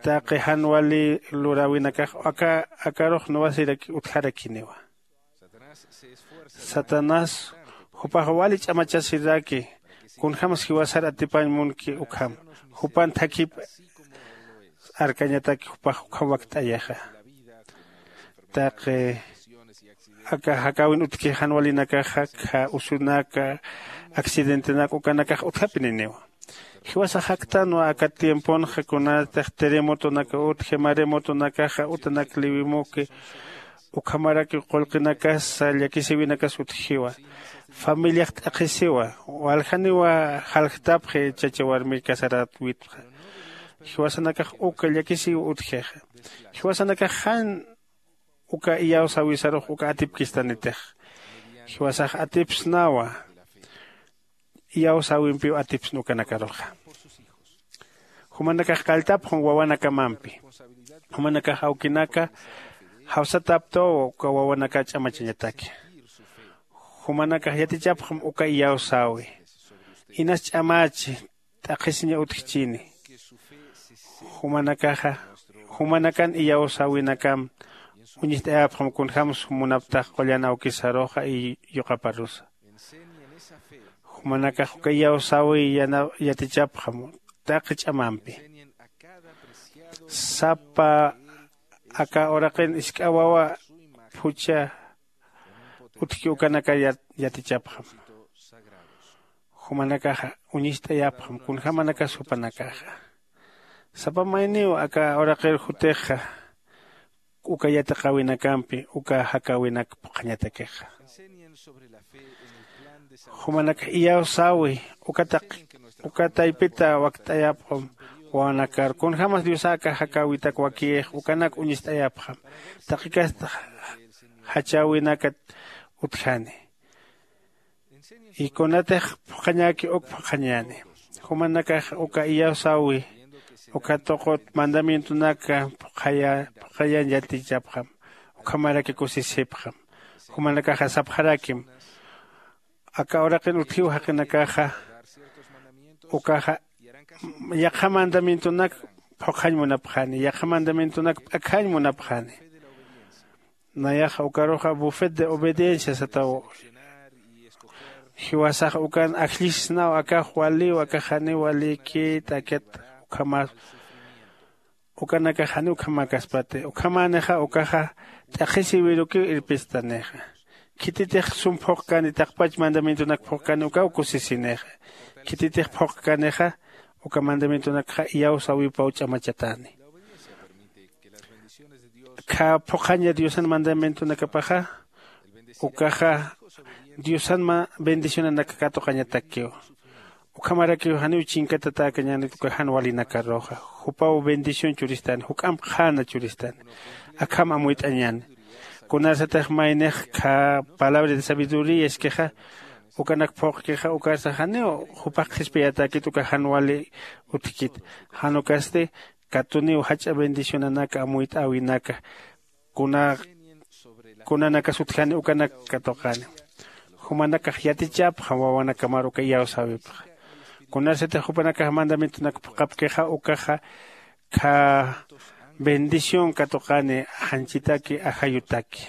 Taqi jan wali luräwinakax aka akarux nuwasiraki utjarakiniwa. Satanás jupax wali ch'amachasiraki kunjämas jiwasar atipañ munki ukham jupan thakhip arkañataki jupax ukham wakt'ayaxa. Taqi aka jakäwin utjki jan walinakaxa kha usunaka accidentenak ukanakax utjapininiwa. Jiwasax jaktanwa aka tiemponxa kunatix terremotonaka utji maremotonakaxa utanak liwimuki ukhamaraki qullqinakasa llakisïwinakas utjiwa. Familiax t'aqhisiwa. Waljaniw jaljtapxi chacha warmi casaräwitxa. Jiwasanakax uka llakisïw utjixa. Jiwasanakax jan uka iyawsäwisarux uka atipkistanitix. Jiwasax atipsnawa iyawsäwimpiw atipsna ukanakaruxa. Jumanakax qalltapxam wawanakamampi. Jumanakax awkinaka jawsataptaw uka wawanaka ch'amachañataki. Jumanakax yatichapxam uka iyawsäwi. Inas ch'amachi t'aqhisiña utjchini. Jumanakaxa jumanakan iyawsäwinakam uñist'ayapxam kunjämsa munaptax qullan awkisaruxa y yuqaparusa. Jumanakax uka iyawsäwi yatichapxam taqi ch'amampi. Sapa aka uraqin isk'a wawa phuchha utjki ukanakar yatichapxam. Jumanakaxa uñist'ayapxam kunjämanakas jupanakaxa. Sapa mayniw aka uraqir jutixa uka yatiqäwinakampi uka jakäwinak phuqhañatakixa. Jumanakax iyawsäwi uka taq uka taypita wakt'ayapxam. Wawanakar kunjämas diosa aka jakäwitak wakiyix ukanak uñist'ayapxam. Taqikast jachäwinakat utjani. Y kunatix phuqhañäki uk phuqhañäni. Jumanakax uka iyawsäwi uka tuqut mandamientonaka phuqhaya phuqhayan yatichapxam. Ukhamaraki kusisipxam. Jumanakaxa sapxarakim aka uraqin utjiw jaqinakaxa ukaxa yaqha mandamientonak phuqhañ munapxani yaqha mandamientonak p'akhañ munapxani. Nayaxa ukaruxa bufet de obediencia sataw. Jiwasax ukan ajllisisnaw akax waliw akax janiw walïkit akat ukhamas ukanakax janiw ukhamäkaspati ukhamänixa ukaxa t'aqhisïwirukiw irpistanixa. Khititix sum phuqkani taqpach mandamientonak phuqkani ukaw kusisinixa. Khititix phuqkanixa uka mandamientonakxa iyawsäwipaw ch'amachatäni. Kha phuqhaña diosan mandamientonakapaxa ukaxa diosan bendicionanak katuqañatakiw. Ukhamarakiw janiw chinkatatäkañänit uka jan walinakaruxa. Jupaw bendición churistani juk'amp qhäna churistani. Akham amuyt'añäni. Kunarsatix maynix kha palabra de sabiduría iskixa ukanak phuqkixa ukarsa janiw jupax qhispiyatäkit uka jan wali utjkit. Jan ukasti katuniw jach'a bendicionanaka amuyt'äwinaka kuna kunanakas utjani ukanak katuqani. Jumanakax yatichapxam wawanakamar uka iyawsäwipxa. Kunarsatix jupanakax mandamientonak phuqhapkixa ukaxa kha bendición katuqani janchitaki ajayutaki.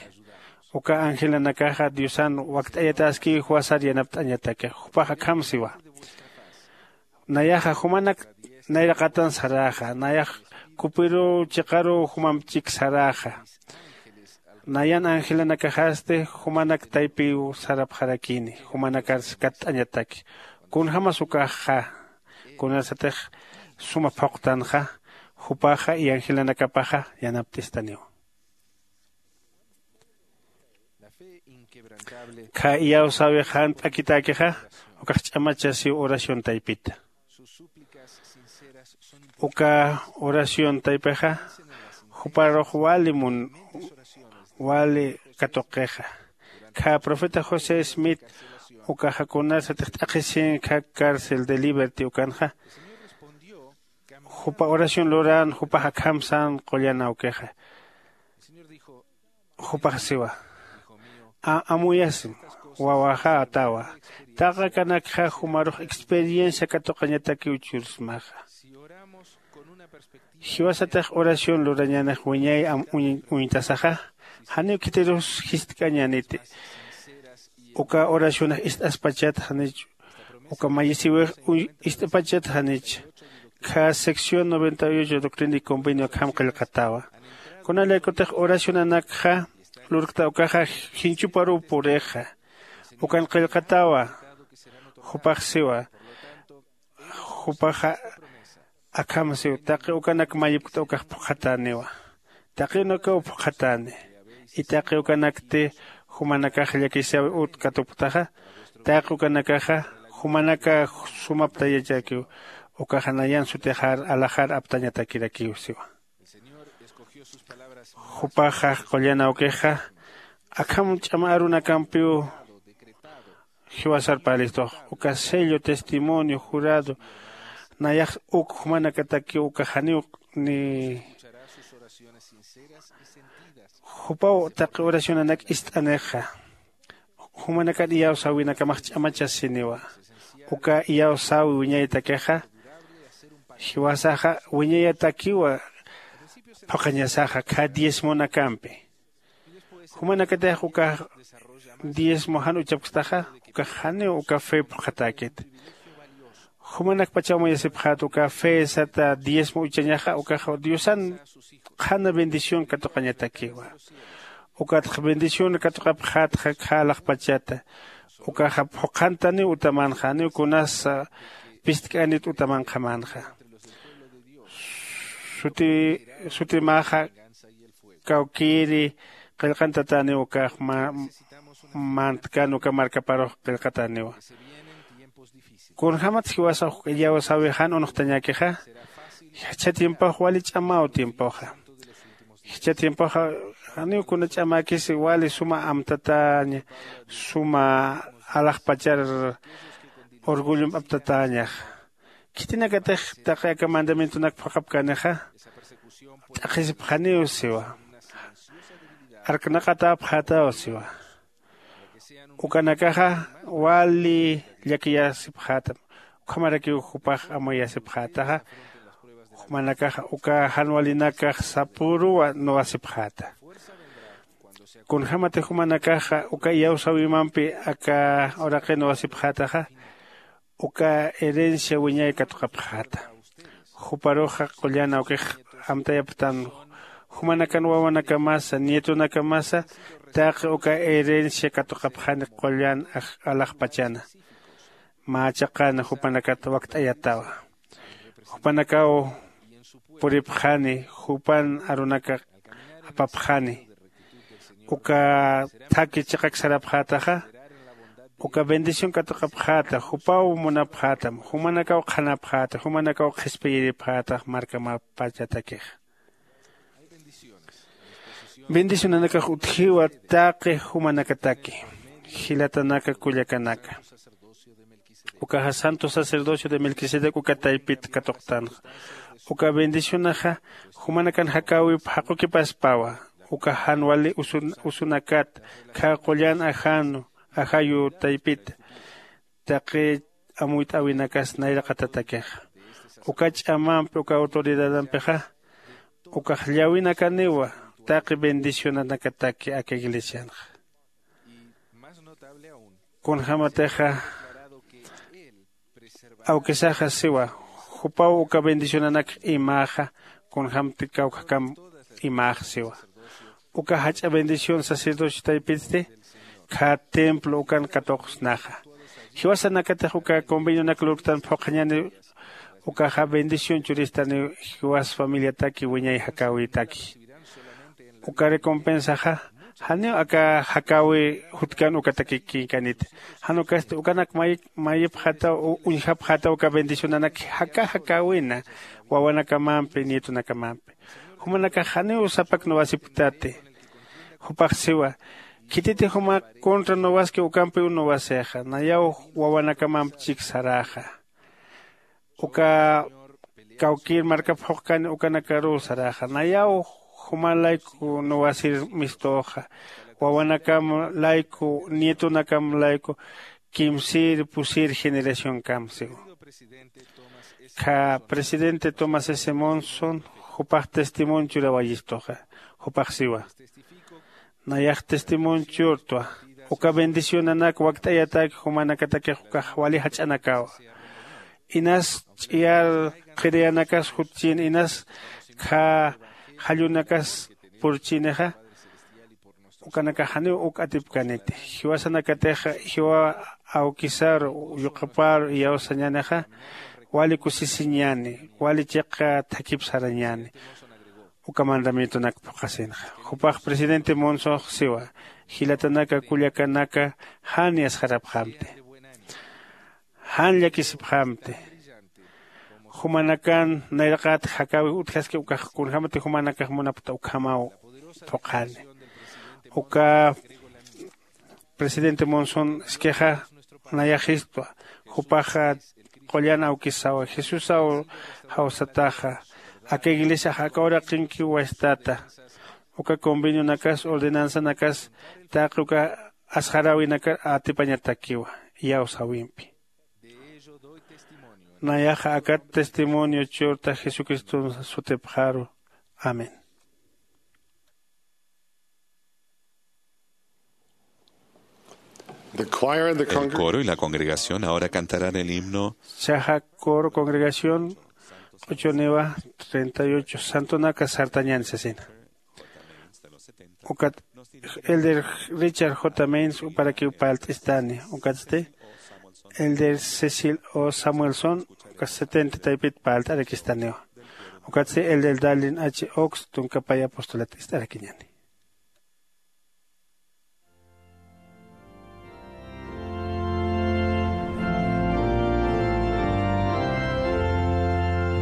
Uka angelanakaxa diosan wakt'ayatäskiw jiwasar yanapt'añataki jupax akham siwa. Nayaxa jumanak nayraqatan saräxa nayax kupiruw chiqaruw jumamp chik saräxa. Nayan angelanakaxasti jumanak taypiw sarapxarakini jumanakars katt'añataki. Kunjämas ukaxxa kunarsatix suma phuqtanxa jupaxa y angelanakapaxa yanapt'istaniwa. Kha iyawsäwix jan p'akitäkixa ukax ch'amachasiw oración taypita. Uka oración taypixa juparux wali mun wali katuqixa. Kha profeta josé smith ukaxa kunarsatix t'aqhisin kha cárcel de liberty ukanxa jupa oración luran jupax akham sän qullan awkixa. Jupax siwa, amuyasim wawaxa atawa. Taqi akanakxa jumarux experiencia katuqañatakiw chursmaxa. Jiwasatix oración lurañänix wiñay uñtasaxa janiw khitirus jistk'añäniti. Uka oracionax ist'aspachat janich uka mayisiwix ist'apachat janich. Kha sección noventa y ocho doctrina y convenio akham qillqatawa. Kunalaykutix oracionanakxa lurkta ukaxa jinchuparuw purixa. Ukan qillqatawa. Jupax siwa jupaxa akham siw taqi ukanak mayipkta ukax phuqhatäniwa. Taqi ukaw phuqhatäni. Y taqi ukanakti jumanakax llakisiw ut katupktaxa taqi ukanakaxa jumanaka sumaptayachakiw. Ukaxa nayan sutixar alaxar aptañatakirakiw siwa. Jupaxa qullan awkixa akham ch'ama arunakampiw jiwasar parlistux uka sello testimonio jurado nayax uk jumanakatakiw uka janiw ni jupaw taqi oracionanak ist'anixa. Jumanakan iyawsäwinakamx ch'amachasiniwa. Uka iyawsäwi wiñaytakixa jiwasaxa wiñayatakiwa. Phuqhañasaxa kha diezmonakampi jumanakatix ukax diezmo jan uchapkstaxa ukax janiw uka fe phuqhatäkit. Jumanakpachaw muyasipxät uka fe sata diezmo uchañaxa ukax diosan qhana bendición katuqañatakiwa. Ukatx bendición katuqapxätxa kha alaxpachata ukaxa phuqhantaniw utamanxa janiw kunasa pistk'anit utamanqhamänxa. Suti sutimäxa kawkïri qillqantatäniw ukax ma- mantkan uka markaparux qillqatäniwa. Kunjämat jiwasa uk iyawsäwi jan unuxtañäkixa, jichha tiempox wali ch'amaw tiempoxa. Jichha tiempoxa janiw kuna ch'amäkisi, wali suma amtatäña, suma alaxpachar orgullomp aptatäñaxa. Khitinakatix taqi aka mandamientonak phuqhapkänixa, t'aqhisipxaniw siwa, arknaqatäpxätaw siwa. Ukanakaxa wali llakiyasipxätam, ukhamarakiw jupax amuyasipxätaxa. Jumanakaxa uka jan walinakax sapüruw nuwasipxäta. Kunjämatix jumanakaxa uka iyawsäwimampi aka uraqi nuwasipxätaxa, uka herencia wiñay katuqapxäta. Juparuxa qullan awkix amtayapxtan, jumanakan wawanakamasa, nietonakamasa, taqi uka herencia katuqapxani qullan aj- alaxpachana. Mä chiqan jupanakat wakt'ayatawa. Jupanakaw puripxani, jupan arunaka apapxani. Uka thaki chiqak sarapxätaxa, uka bendición katuqapxäta, jupaw munapxätam, jumanakaw qhanapxäta, jumanakaw qhispiyiripxätax markamapachatakixa. Bendicionanakax utjiwa taqi jumanakataki, jilatanaka kullakanaka. Ukaxa santo sacerdocio de Melquisedec uka taypit katuqtanxa. Uka bendicionaxa jumanakan jakäwip jaqukipaspawa. Uka jan wali usun- usunakat khä qullan ajanu ajayu taypita, taqi amuyt'äwinakas nayraqatatakixa. Uka ch'amampi uka autoridadampixa, ukax llawinakaniwa taqi bendicionanakataki aka iglesianxa. Kunjämatixa awkisaxa siwa, jupaw uka bendicionanak imäxa, kunjämti kawkhakamp imäxa siwa. Uka jach'a bendición sacerdocio taypitsti khä templo ukan katuqsnaxa. Jiwasanakatix uka convenionak lurktan phuqhañäni, ukaxa bendición churistaniw jiwas familiataki wiñay jakäwitaki. Uka recompensaxa janiw aka jakäwi jutkan ukatakikïkaniti. Jan ukasti ukanak may- mayipxätaw u- uñjapxätaw uka bendicionanak jaka jakäwina wawanakamampi, nietonakamampi. Jumanakax janiw sapak nuwasipktati. Jupax siwa, khititix jumax contra nuwaski ukampiw nuwasixa, nayaw wawanakamamp chik saräxa. Uka kawkïr markap phuqkani ukanakaruw saräxa, nayaw juma layku nuwasir mistuxa, wawanakam layku, nietonakam layku, kimsïr pusïr generacionkam siwa. Khä presidente Thomas S. Monson jupax testimonio churawayistuxa. Jupax siwa, nayax testimonio churtwa, uka bendicionanak wakt'ayatak jumanakatakix ukax wali jach'anakawa. Inas ch'iyar qhiriyanakas jutchïn, inas khä jallunakas purchïnixa, ukanakax janiw uk atipkäniti. Jiwasanakatix jiwa awkisar, yuqapar iyawsañänixa, wali kusisiñäni, wali chiqa thakip sarañäni uka mandamientonak phuqhasinxa. Jupax presidente Monsonx siwa, jilatanaka kullakanaka jan yasxarapxamti, jan llakisipxamti. Jumanakan nayraqat jakäwix utjaski, ukax kunjämati jumanakax munapkta ukhamaw phuqhani. Uka presidente Monson iskixa nayaxistwa, jupaxa qullan awkisawa, Jesusaw jawsataxa, aka iglesiax aka uraqinkiw wastata. Uka convenionakas, ordenanzanakas taqi uka asxaräwinakar atipañatakiwa iyawsäwimpi. Nayaxa akat testimonio churta Jesucriston sutipxaru. Amén. The choir and the El congregation coro y la congregación ahora cantarán el himno. Chaja coro congregación q'uchuniwa treinta y ocho, santonaka sartañän sasina. Ukat elder Richard J. Mains uparakiw parlt'istani, ukatsti elder Cecil O. Samuelson uka setenta taypit parlt'arakistaniwa. Ukatsi el del Darlin H. Oaks tunkapay apostolat ist'arakiñani.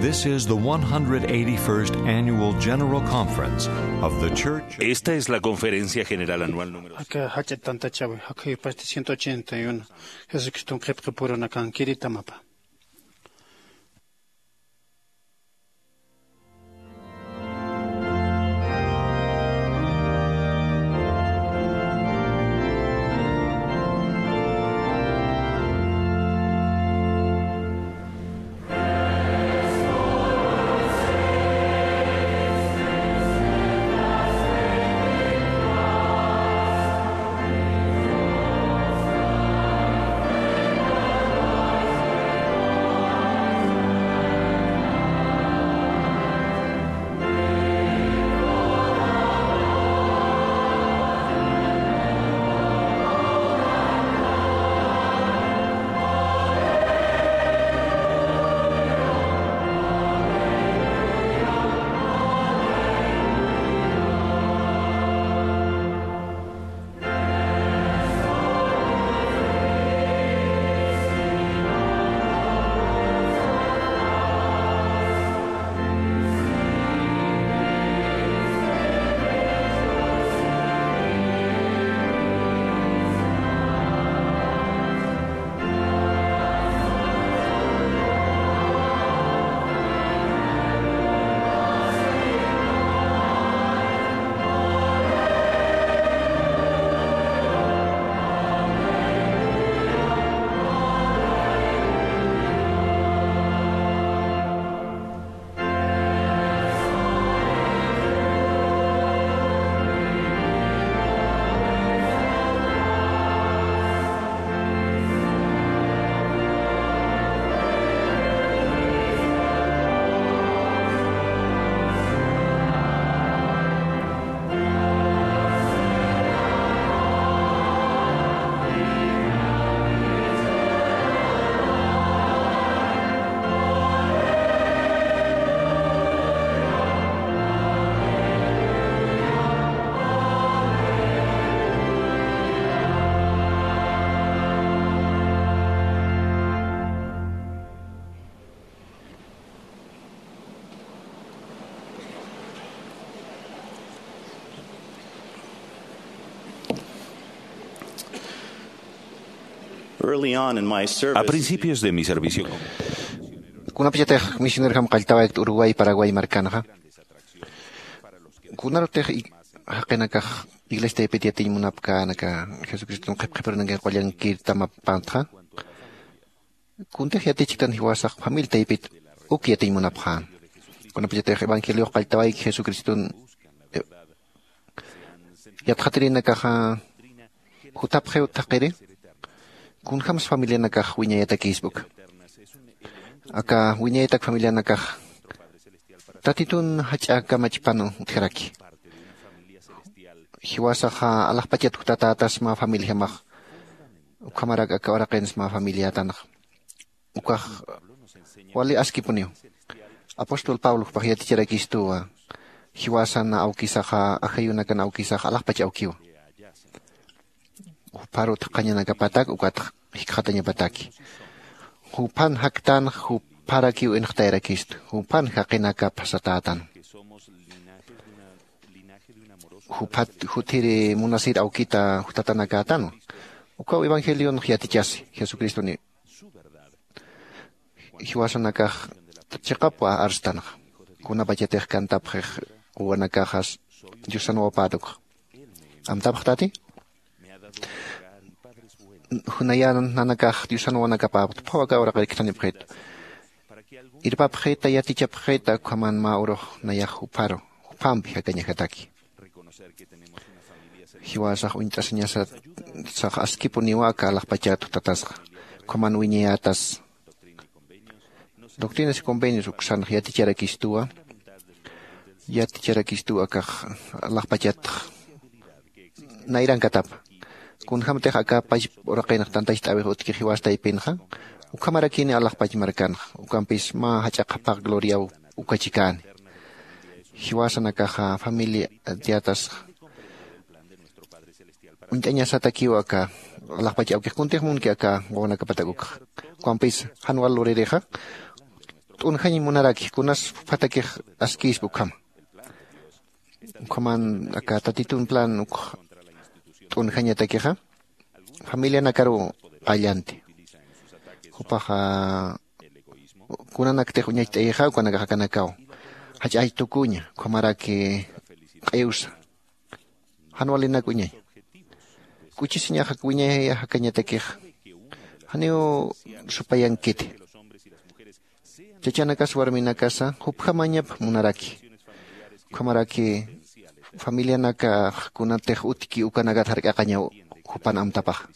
This is the one hundred eighty-first Annual General Conference of the Church. Esta es la conferencia general anual número. Aka jach'a tantachäwi, aka jupasti ciento ochenta y uno. Jesucriston qhipqipurunakankiri tamapa. Early on in my service, a principios de mi servicio, kunapachatix misionerjam qalltawaykt Uruguay, Paraguay markanxa, kunarutix i-, jaqinakax iglesia taypit yatiñ munapkänaka, Jesucriston qhipqhipirunankañ qullankir tamapantxa, kuntix yatichktan jiwasax familia taypit uk yatiñ munapxän. Kunapachatix evangeliox qalltawayki Jesucriston, eh, yatxatirinakaxa jutapxiw thaqhiri, kunjams familianakax wiñayatakïspa uka. Aka wiñayatak familianakax Tatitun jach'a kamachpan utjaraki. Jiwasaxa alaxpachat jutatätas mä familijamax, ukhamarak aka uraqins mä familiätanxa. Ukax wali askipuniw. Apóstol Pablo jupax yaticharakistuwa, jiwasan awkisaxa, ajayunakan awkisax alaxpach awkiwa. Jupharu thaqhañanakapatak ukat jikxatañapataki. Juphan jaktan, jupharakiw inxtayarakistu. Juphan jaqinakap satätan. Juphat juthiri munasir awkita jutatanakatan. Ukaw evangelion yatichasi, Jesucristoni jiwasanakax chiqapwa arstanxa. Kunapachatix kantapxix quwanakaxas Diosan wapätukxa. Amtapxtati? Naya nanakax Diosan wawanakapäpxta, phaw aka uraqir kthanipxitu. Irpapxita, yatichapxita, ukhaman mä urux nayax jupharu, juphampi jakañajataki. Jiwasax uñt'asiñasa sax askipuniwa aka alaxpachat jutatasxa, ukhaman wiñayätas. Doctrinas y Convenios uksanx yaticharakistuwa, yaticharakistuwa akax alaxpachatx nayrankatapa. Kunjämtix aka pachpa uraqinx tantacht'äwix utjki jiwas taypinxa, ukhamarakini alaxpach markanxa, ukampis mä jach'a qhapaq gloriaw uka chikäni. jiwasanakaxa familia tiyatas uñt'añasatakiw aka alaxpach awkix kuntix munki aka wawanakapatak ukxa. Ukampis jan wal luririxa t'unjañ munaraki kunas juphatakix askïspa ukhama. Ukhaman aka tatitun plan ukx t'unjañatakixa familianakaruw qallanti. Jupaxa kunanaktix uñacht'ayixa ukanakax akanakaw jach'ach tukuña ukhamaraki q'iwsa jan walinak uñañ. K'uchisiñax wiñay jakañatakix janiw supayankiti. Chachanakas warminakasa jupjamañap munaraki ukhamaraki familianakax kunatix utki ukanakat jark'aqañaw jupan amtapaxa.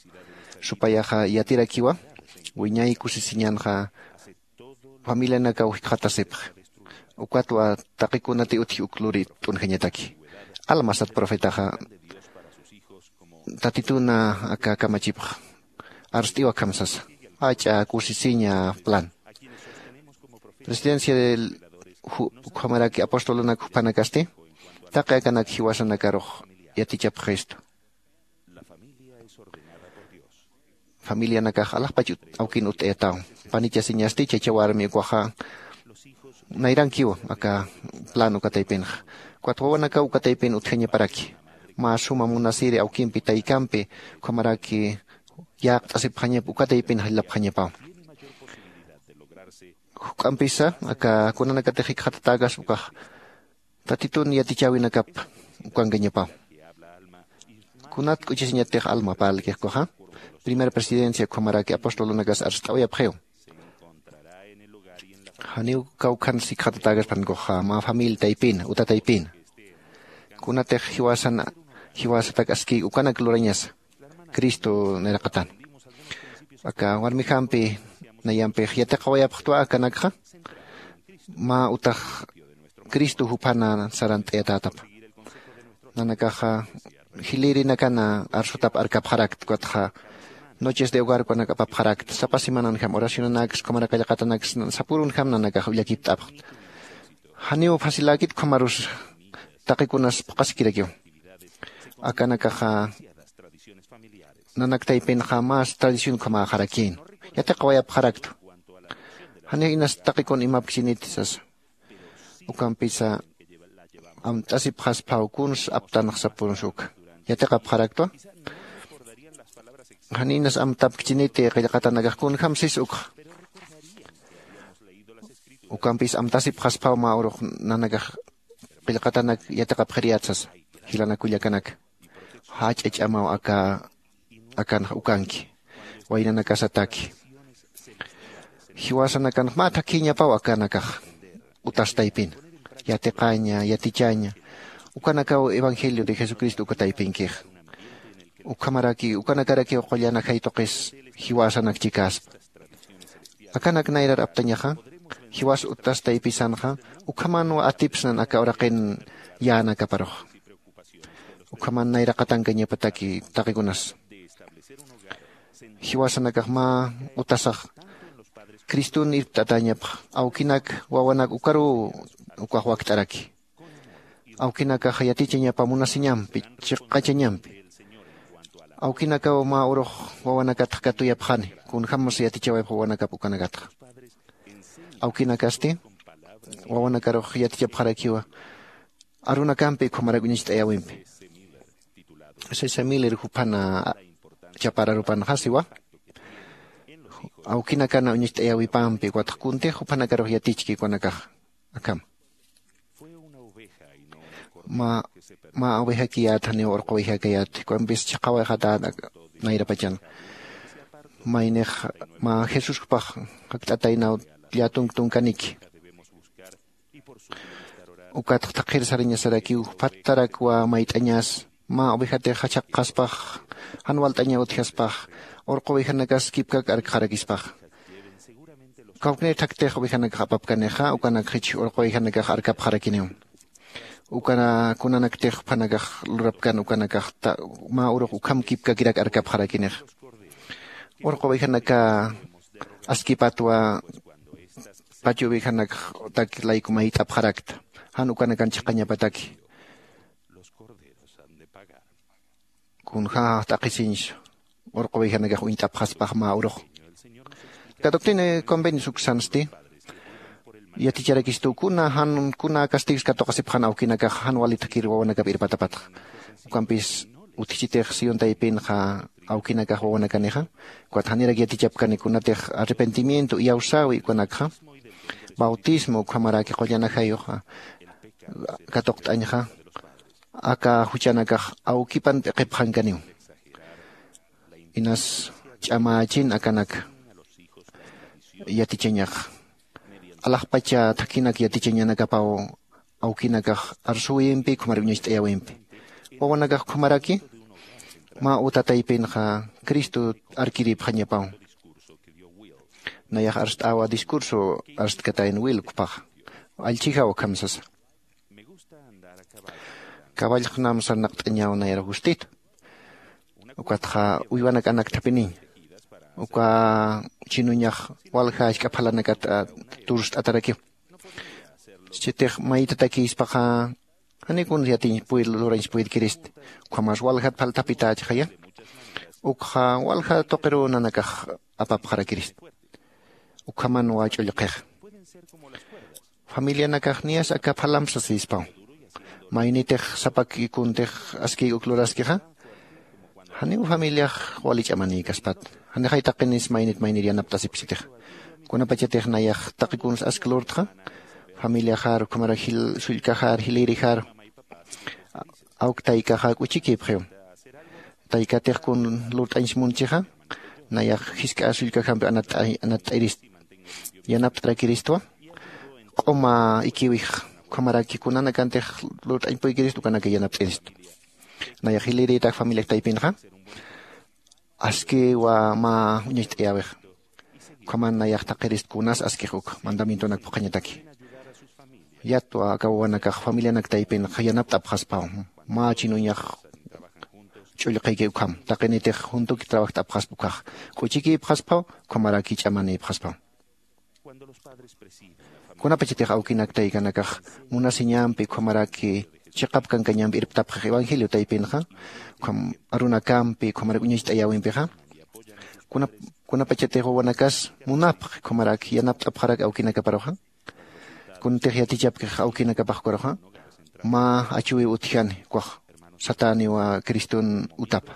Supayaxa yatirakiwa wiñay kusisiñanxa familianakaw jikxatasipxi. Ukatwa taqi kunati utji uk luri t'unjañataki. Alma sat profetaxa tatituna aka kamachipx arst'iw akham sasa jach'a kusisiña plan presidencia del ukhamaraki apostolunak juphanakasti taqi akanak jiwasanakarux yatichapxistu. Familianakax alaxpach awkin ut'ayataw panichasiñasti chacha warmi ukwaxa nayrankiw aka plan uka taypinxa. Ukat wawanakaw uka taypin utjañaparaki mä suma munasiri awkimpi taykampi ukhamaraki yäqt'asipxañap uka taypin jallapxañapaw. Juk'ampisa aka kunanakatix jikxatatäkaspa ukax tatitun yatichäwinakap ukankañapaw. Kunat k'uchisiñatix alma parlkix ukaxa primera presidencia ukhamaraki apostolunakas arst'awayapxiw. Janiw kawkhan sikxatatäkaspan ukaxa mä familia taypina uta taypina kunatix jiwasan jiwasatak askïk ukanak lurañasa cristo nayraqatan. Aka warmijampi nayampix yatiqawayapxtwa akanakxa mä utax cristo juphana sarant'ayatätapa. Nanakaxa jilïrinakana arsutap arkapxarakta ukatxa noches de hogar ukanak apapxarakta sapa semananjam oracionanaks ukhamara qillqatanaks sapürunjam nanakax ullakipt'apxta. Janiw faciläkit ukhamarus taqikunas phuqhaskirakiw. Akanakaxa nanak taypinxa mas tradición ukhamäxarakïn yatiqawayapxaraktu. Janiw inas taqikun imapkchiniti sasa. Ukampisa amt'asipxasphaw kuns aptanxsapurunsa uka yatiqapxaraktwa. Janinas amtapkchiniti qillqatanakax kunjam sis ukxa. Ukampis amtasipxasphaw mä urux nanakax qillqatanak yatiqapxiriyät sasa. Jilanakullakanaka jach'a ch'amaw aka akanxa ukanki waynanakasataki. Jiwasanakanx mä thakhiñapaw akanakax utas taypina yatiqaña yatichaña ukanakaw evangelio de jesucristo uka taypinkixa. Ukhamaraki ukanakarakiw qullan ajay tuqis jiwasanak chikäspa. Akanak nayrar aptañaxa jiwas utas taypisanxa ukhamanwa atipsnan aka uraqin yänakaparuxa. Ukhaman nayraqatankañapataki taqikunas jiwasanakax mä utasax cristun irpt'atäñapxa awkinak wawanak ukaruw ukax wakt'araki. Awkinakax yatichañapa munasiñampi chiqachañampi awkinakaw mä urux wawanakatx katuyapxani kunjämas yatichawayapx wawanakap ukanakatxa. Awkinakasti wawanakarux yatichapxarakiwa arunakampi ukhamarak uñacht'ayäwimpi. Sisa miller juphana chapar arupanxa siwa awkinakana uñacht'ayäwipampi ukatx kuntix juphanakarux yatichki ukanakaxa. Akham mä mä ovejakiyät janiw urqu ovejakayät kumpis chiqawayxatät nayrapachan. Maynix mä jesús jupax jakt'ataynaw llätunk tunkaniki. Ukatx thaqhir sarañasarakiw juphattarakwa mayt'añas mä ovejatix jachhaqxaspax jan walt'aña utjaspax urqu ovejanakas kipkak arkxarakispax. Kawknir thaktix ovejanakax apapkanixa ukanak jichh urqu ovejanakax arkapxarakiniw. Uka kunanaktix juphanakax lurapkan ukanakax mä urux ukham kipkakirak arkapxarakinixa. Urqu ovejanaka askipatwa pachu ovejanakxtak layku mayt'apxarakta. jan ukanakan chiqañapataki. Kunjäx t'aqhisiñsa urqu ovejanakax uñt'apxaspax mä urux. Katuqtini convenios uksansti yaticharakistu kuna jan kuna castigs katuqasipxan awkinakax jan wali thakir wawanakap irpatapatxa. Ukampis utjichitix sión taypinxa awkinakax wawanakanixa. Ukat janirak yatichapkani kunatix arrepentimiento iyawsäwi ukanakxa bautismo ukhamaraki qullan ajayux katuqt'añxa aka juchanakax awkipan p'iqipxankaniw. Inas ch'amächin akanak yatichañax alaxpacha thakhinak yatichañanakapaw awkinakax arsuwimpi ukhamar uñacht'ayäwimpi wawanakax ukhamaraki mä uta taypinxa cristo arkiripxañapaw. Nayax arst'äwa discurso arstkatayn wil ukpaxa allchijaw ukham sasa. Caballxnam sarnaqt'añaw nayar gustito ukatxa uywanak anakthapiniñ uka chinuñax walja jachk'a phalanakat turst'atarakiw. Chitix maytatakïspaxa janiw kun yatiñ puy lurañs puydkirist ukhamas waljat phalthapitächxaya ukxa walja tuqirunanakax apapxarakirist. Ukhamanwa ch'ullqix familianakax niyas aka phalamp sasispaw. Maynitix sapak ikuntix askïk uk luraskixa janiw familiax wali ch'amanïkaspat. Janixay taqinis maynit maynir yanapt'asipsitix kunapachatix nayax taqi kuns ask lurtxa familiaxar ukhamarak sullkaxar jilïrixar awk taykaxa k'uchikïpxiw. Taykatix kun lurt'añs munchixa nayax jisk'a sullkaxampi anatt'irist yanapt'arakiristwa q'uma ikiwix ukhamaraki kunanakantix lurt'añpuykirist ukanaka yanapt'irist. Nayax jilïrïtak familiak taypinxa askiwa mä uñacht'ayäwix ukhaman nayax thaqirist kunas askix uk mandamientonak phuqhañataki. Yatwa aka wawanakax familianak taypinxa yanapt'apxaspaw mä chinuñax ch'ullqiki ukham taqinitix juntuki trabajt'apxaspa ukhax k'uchikïpxaspaw ukhamaraki ch'amanïpxaspaw. Kunapachatix awkinak taykanakax munasiñampi ukhamaraki chiqap kankañampi irptapxix evangelio taypinxa ukham arunakampi ukhamarak uñacht'ayäwimpixa kunapachatix wawanakas munapxi ukhamaraki yanapt'apxarak awkinakaparuxa. Kuntix yatichapkix awkinakapax ukaruxa mä achuwiw utjani ukax satäniwa criston utapa.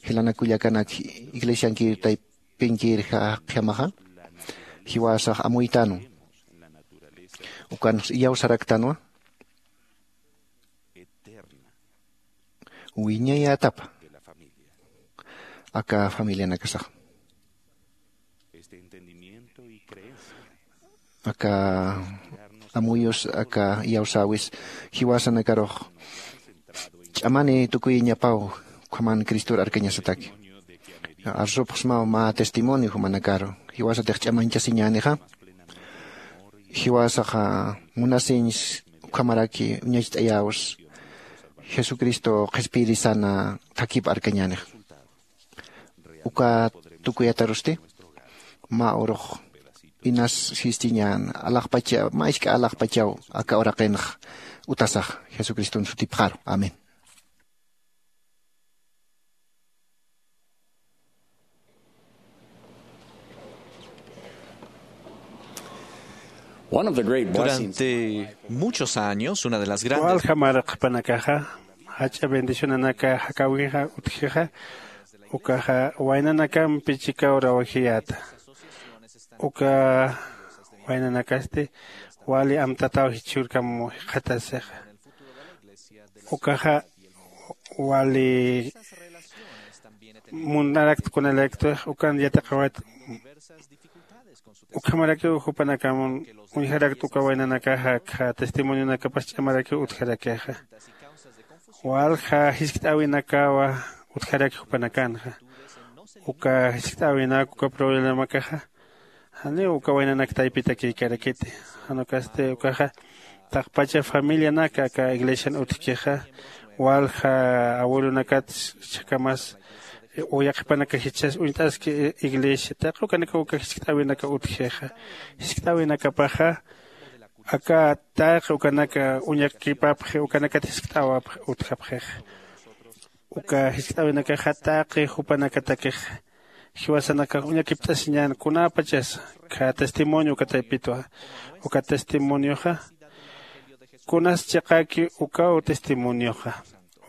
Jilanak kullakanak iglesiankir taypinkir jaqjamaxa jiwasax amuytanwa ukan iyawsaraktanwa wiñayätapa aka familianakasax. Aka amuyus aka iyawsäwis jiwasanakarux ch'amani tukuyiñapaw ukhaman cristor arkañasataki. Arsupxsmaw mä testimonio jumanakaru jiwasatix ch'amañchasiñänixa jiwasaxa munasiñs ukhamaraki uñacht'ayäws jesucristo qhispiyirisana thakip arkañänix. Uka tukuyatarusti mä urux inas sistiñän alaxpacha mä isk'a alaxpachaw aka uraqinx utasax jesucriston sutipxaru amén. Durante muchos años una de las grandes walja marq'panakaxa jach'a bendicionanaka jakawkixa utjixa ukaxa waynanakampi chikaw rawajiyäta. Uka waynanakasti wali amtataw jichhürkam jikxatasixa ukaxa wali munarakt kunalaktix ukan yatiqawayt. Ukhamarakiw jupanakamun uñjarakt uka waynanakaxa akha testimonionakapas ch'amarakiw utjarakixa walja jiskt'äwinakawa utjaraki jupanakanxa uka jiskt'äwinak uka problemakaxa janiw uka waynanak taypitakïkarakiti. Jan ukasti ukaxa taqpacha familianaka aka iglesian utjkixa walja abuelonakat chhakamas uyaqhipanaka jichhas uñt'aski iglesia taqi ukanaka uka jiskt'äwinaka utjixa jiskt'äwinakapaxa Aka taqi ukanaka uñakipapxi ukanakat jiskt'awapxi utjapxixa. Uka jiskt'awinakaxa taqi jupanakatakix jiwasanakax uñakipt'asiñän kunäpachasa kha testimonio uka taypitwa. Uka testimonioxa kunas chiqäki ukaw testimonioxa.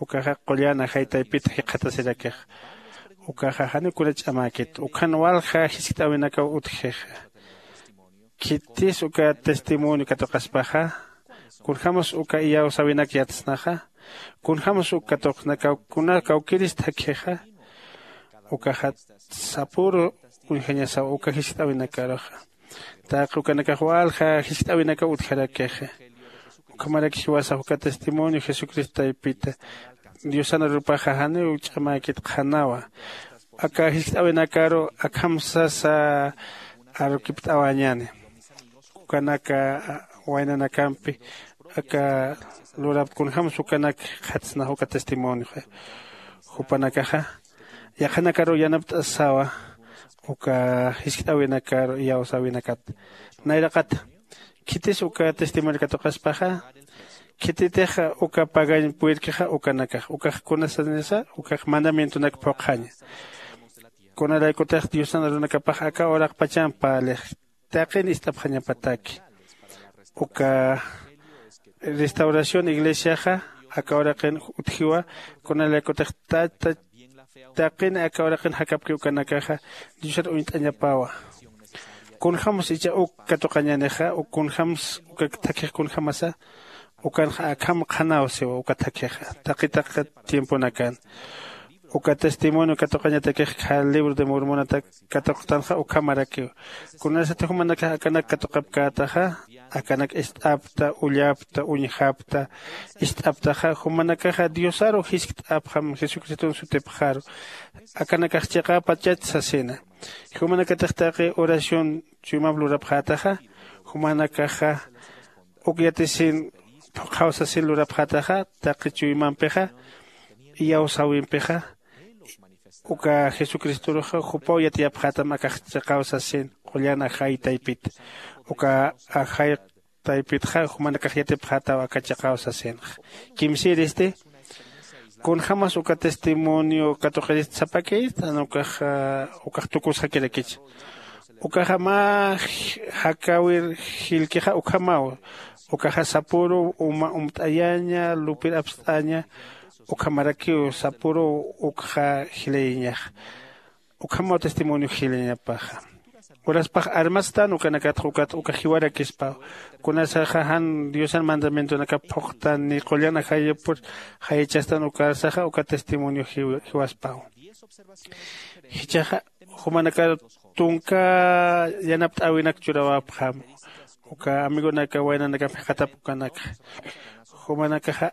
Ukaxa qullan ajay taypit jikxatasirakixa. Ukaxa janiw kuna ch'amäkit ukhan walja jiskt'äwinakaw utjixa. Khitis uka testimonio katuqaspaxa, kunjämas uka iyawsäwinak yatsnaxa, kunjämas uk katuqsnakaw kuna kawkïrist jakjixa. Ukaxat sapüru uñjañasaw uka jiskt'äwinakaruxa. Taqi ukanakax walja jiskt'äwinakaw utjarakixa. Ukhamarak jiwasax uka testimonio jesucristo taypita diosan arupaxa janiw ch'amäkit qhanawa. Aka jiskt'äwinakaru akham sasa arukipt'awañäni. Ukanaka waynanakampi aka lurapta kunjämsa ukanak jikxatsnax uka testimonioxa. Jupanakaxa yaqhanakaruw yanapt'asawa uka jiskt'äwinakar iyawsäwinakat. Nayraqata khitis uka testimonio katuqaspaxa, khititix uka pagañ puyirkixa ukanakax ukax kunasanisa ukax mandamientonak phuqhaña. Kunaraykutix diosan arunakapax aka uraqpachan parlix taqin ist'apxañapataki. Uka restauración iglesiaxa aka uraqin utjiwa. Kunalaykutix tata taqin aka uraqin jakapki ukanakaxa diosar uñt'añapawa. Kunjämsa icha uk katuqañänixa uk kunjämsa uka thakhix kunjämasa ukanxa akham qhanaw siwa uka thakhix taqi taqi tiemponakan. Uka testimonio katuqañatakix kha libro de mormonatak katuqtanxa ukhamarakiw. Kunasati jumanakax akanak katuqapkätaxa akanak ist'apta ullapta uñjapta ist'aptaxa jumanakaxa diosaru jiskt'apxam jesucriston sutipxaru. Akanakax chiqäpachach sasina. Jumanakatix taqi oración chuymamp lurapxätaxa jumanakaxa uk yatisin phuqhaw sasin lurapxätaxa taqi chuymampixa iyawsäwimpixa uka jesucristoruxa jupaw yatiyapxätam akax chiqaw sasin qullan ajay taypit. Uka ajay taypitxa jumanakax yatipxätaw aka chiqaw sasinxa. Kimsïristi kunjämas uka testimonio katuqirist sapakïristan ukax ukax tukusxakirakicha. Ukaxa mä jakäwir jilkixa ukhamaw. Ukaxa sapüru uma umt'ayaña lupir apst'aña. Ukhamarakiw sapüruw ukxa jilayañaxa. Ukhamaw testimonio jilayañapaxa. Uraspax armatstan ukanakatxa ukat uka jiwarakispaw. Kunasaxa jan diosan mandamientonakap phuqtan ni qullan ajayapur jayachastan ukarsaxa uka testimonio jiwaspaw. Jichhaxa jumanakar tunka yanapt'äwinak churawapxam. Uka amigonaka waynanakam jikxatap ukanakxa jumanakaxa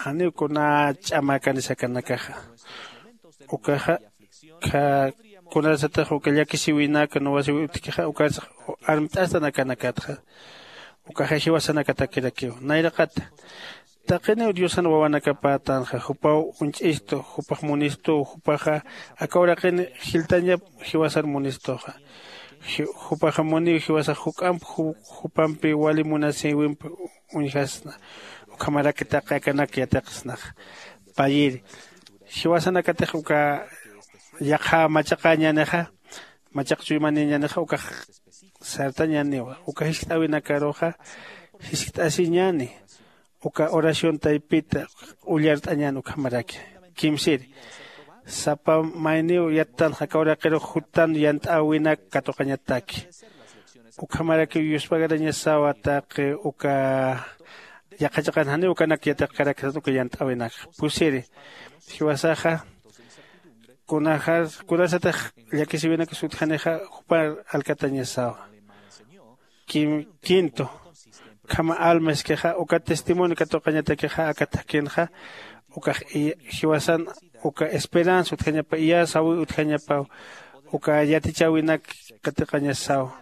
janiw kuna ch'amäkanis akanakaxa. Ukaxa kunasatix uka llakisiwinak nuwasiwi utjkixa ukarsax armt'astan akanakatxa. Ukaxa jiwasanakatakirakiw nayraqata taqiniw diosan wawanakapätanxa jupaw uñch'istu jupax munistuw jupaxa aka uraqin jiltañap jiwasar munistuxa. Jupaxa muniw jiwasax juk'amp jupampi wali munasïwimp uñjasna. Ukhamaraki taqi akanak yatiqsnaxa. Payiri jiwasanakatix uka yaqha machaqañänixa machaq chuymanïñänixa ukax sartañäniwa uka jiskt'äwinakaruxa jiskt'asiñäni. Uka oración taypita ullart'añän ukhamaraki. Kimsiri sapa mayniw yattanxa aka uraqirux juttan yant'äwinak katuqañataki. Ukhamarakiw yuspagarañasawa taqi uka yaqha chiqan janiw ukanak yatiqkarakisat uka yant'äwinakxa pusiri jiwasaxa kunajar kunasatix llakisiwinakis utjanixa jupar alkatañasawa. Quinto ukhama alma iskixa uka testimonio katuqañatakixa aka thakhinxa ukax jiwasan uka esperanza utjañapa iyäsawi utjañapaw uka yatichäwinak katiqañasasawa.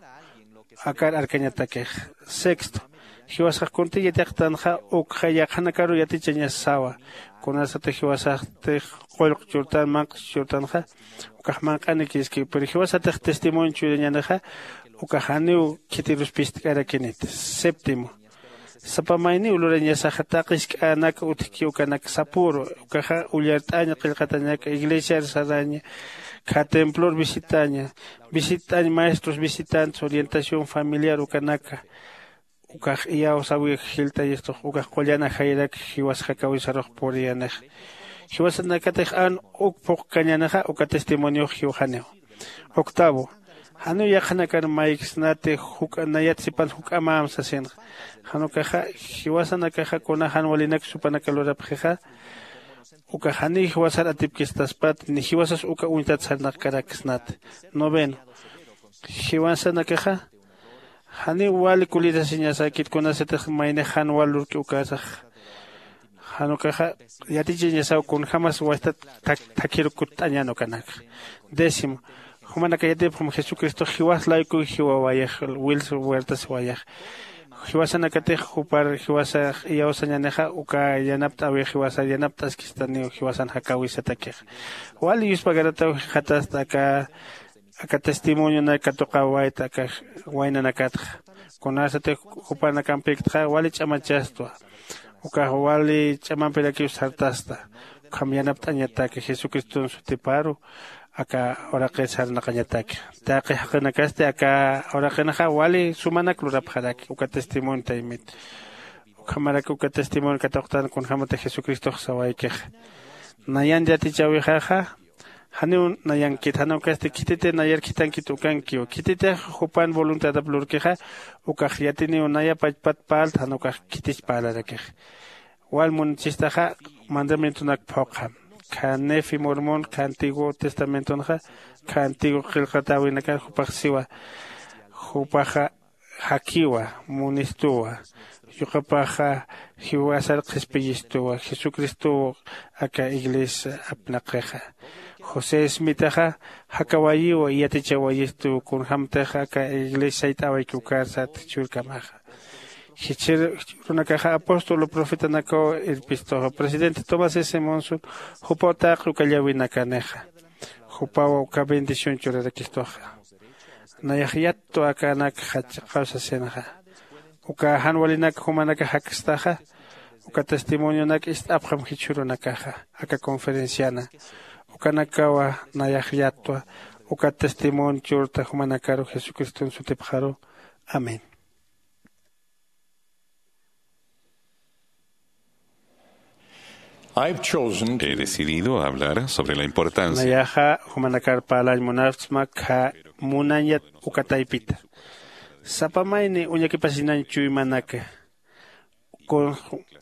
Akar arkañatakix sexto jiwasax kunti yatiqtanxa ukxa yaqhanakaru yatichañasasawa. Kunasatix jiwasaxtix qullq churtan manq'ch churtanxa ukax manq'anikiskiw pero jiwasatix testimonio churañänixa ukax janiw khitirus pistk'arakiniti. Séptimo Sapa mayniw lurañasaxa taqi jisk'änak utjki ukanak sapüru. Ukaxa ullart'aña qillqatañaka iglesiar saraña, kha templor visitaña, visitañ maestros visitantes orientación familiar ukanaka. Ukax iyawsawi jiltayistux ukax qullan ajayrak jiwas jakawisarux puriyanixa. Jiwasanakatix an uk phuqkañänixa uka testimoniox jiwxaniw. Octavo, janiw yaqhanakar mayksnati juk'a nayat sipan juk'amam sasinxa. Jan ukaxa jiwasanakaxa kuna jan walinak supanaka lurapxixa, uka janiw jiwasar atipkistaspat ni jiwasas uka uñtat sarnaqkaraksnati. Noveno, jiwasanakaxa janiw wali kulirasiñasäkit kunasatix maynix jan wal lurki ukasax. Jan ukaxa yatichañasaw kunjämas wastat thakhiru kutt'añän ukanakxa. Décimo, jumanaka yatipxam jesucristox jiwas laykuw jiwawayax, wils huertasiwayax. Jiwasanakatix jupar jiwasax iyawsañänixa uka yanapt'äwi jiwasar yanapt'askistaniw jiwasan jakäwisatakixa. Wali yuspagarataw jikxatasta aka aka testimonionak katuqawayta aka waynanakatxa. Kunasatix jupanakampïktxa wali ch'amachastwa. Ukax wali ch'amampirakiw sartasta. Ukham yanapt'añataki jesucriston sutiparu aka uraqir sarnaqañataki. Taqi jaqinakasti aka uraqinxa wali sumanak lurapxaraki uka testimonio taymit. Ukhamarak uka testimonio katuqtan kunjämatix jesucristox sawaykixa. Nayan yatichäwixaxa janiw nayankit jan ukasti khititi nayar khithankit ukankiw khititix jupan voluntadap lurkixa. Ukax yatiniw naya pachpat parlt jan ukax khitich parlarakixa. Wal munchistaxa mandamientonak phuqha. Kha nefi mormon kha antiguo testamentonxa kha antiguo qillqatäwinakar jupax siwa. Jupaxa jakiwa, munistuwa, yuqapaxa jiwasar qhispiyistuwa jesucristow aka iglesia apnaqixa. José smitaxa jakawayiwa yatichawayistuw kunjämtix aka iglesia sayt'awayki ukar sat jichhürkamaxa. Jichhürunakaxa apóstol profetanakaw irpistuxa presidente tomás s monson jupaw taqi uka llawinakanixa. Jupaw uka bendición churarakistuxa. Nayax yattu akanak jach'aqaw sasinxa. Uka jan walinak jumanaka jakstaxa uka testimonionak ist'apxam jichhürunakaxa aka conferenciana. Ukanakawa nayax yattwa uka testimonio churta jumanakaru jesucriston sutipxaru. Amén. He decidido hablar sobre la importancia. Nayaxa jumanakar parlañ munapsma kha munañat uka taypita. Sapa mayni uñakipasinañ chuymanaka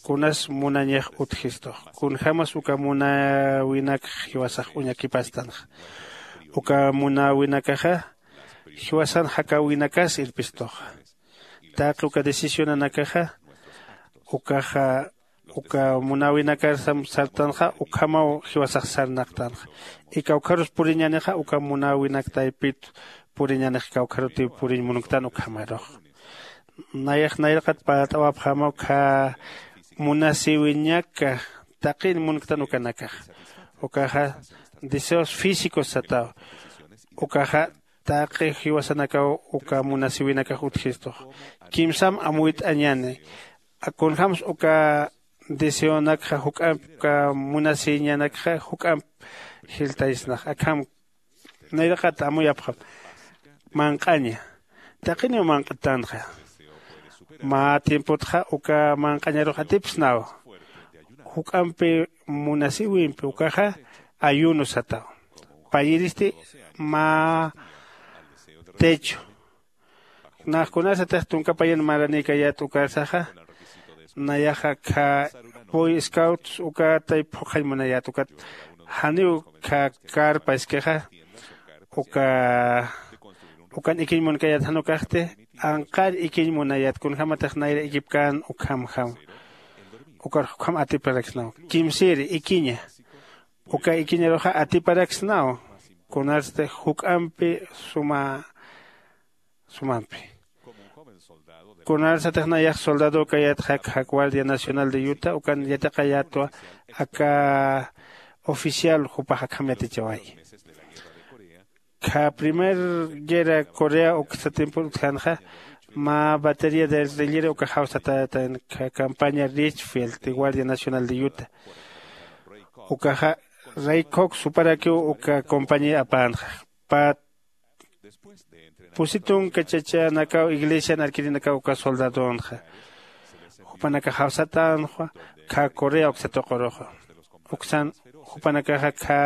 kunas munañax utjistux. Kunjämas uka munäwinak jiwasax uñakipastanxa. Uka munäwinakaxa jiwasan jakäwinakas irpistuxa. Taqi uka decisionanakaxa ukaxa uka munäwinakar sartanxa ukhamaw jiwasax sarnaqtanxa. Y kawkharus puriñänixa uka munäwinak taypit puriñänix kawkharutiw puriñ munktan ukhamarux. Nayax nayraqat parlt'awapxamaw kha munasïwiñaka taqin munktan ukanakaxa. Ukaxa deseos físicos sataw. Ukaxa taqi jiwasanakaw uka munasïwinakax utjistux. Kimsam amuyt'añäni. Kunjämsa uka deseonakxa juk'ampi uka munasïñanakxa juk'amp jiltaysnax akham. Nayraqat amuyapxam manq'aña. Taqiniw manq'tanxa. Mä tiempotxa uka manq'añarux atipsnaw. Juk'ampi munasïwimpi ukaxa ayuno sataw. Payiristi mä techo. Nax kunasatix tunka payan maranïkayät ukarsaxa nayaxa kha boy scouts uka tayp phuqhañ munayät ukat janiw kha carpa iskixa. Uka ukan ikiñ munkayät jan ukaxti anqar ikiñ munayät kunjämatix nayra ikipkän ukhamjam. Ukar jukjam atiparaksnaw kimsïri ikiña. Uka ikiñaruxa atiparaksnaw kunarsti juk'ampi suma sumampi. Kunarsatix nayax soldado ukayät jakja guardia nacional de yuta ukan yatiqayätwa aka oficial jupax akham yatichawayi. Kha primer guerra corea uksa tiempor utjanxa mä batería de artillería uka jawsatätan campaña Richfield de guardia nacional de Utah. Ukaxa ray cox suparakiw uka compañía apänxa. Pä pusi tunka chachanakaw iglesian arkirinakaw uka soldadonxa jupanakax jawsatänxa. Khä correa uksa tuquruxa uksan jupanakaxa khä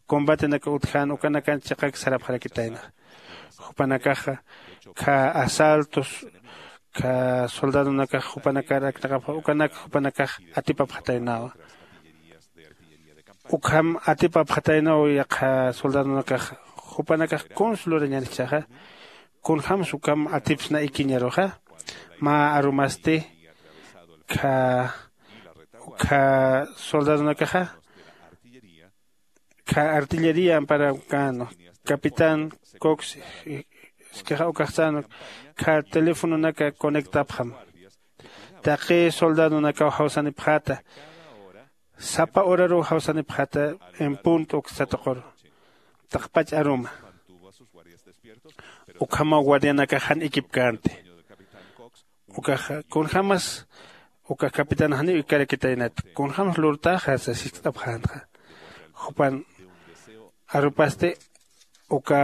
combatenaka utjän ukanakan chiqak sarapxarakitaynaxa. Jupanakaxa khä asaltos khä soldadonakax jupanakar aknaqapxa ukanak jupanakax atipapxataynawa. Ukham atipapxataynaw yaqha soldadonakax jupanakax kuns lurañän jichhaxa? Kunjämsa ukham atipsna ikiñaruxa? Mä arumasti khä ukhä soldadonakaxa khä artillería amparakäna capitán cox iskixa ukax sänwa khä teléfononaka conectapxam. Taqi soldadonakaw jawsanipxäta sapa horaruw jawsanipxäta en punto uksa tuquru taqpach aruma. Ukhamaw guardianakax jan ikipkänti. Ukaxa kunjämas uka capitán janiw ikarakitaynat kunjämas lurtaxa sas jiskt'apxänxa. Jupan arupasti uka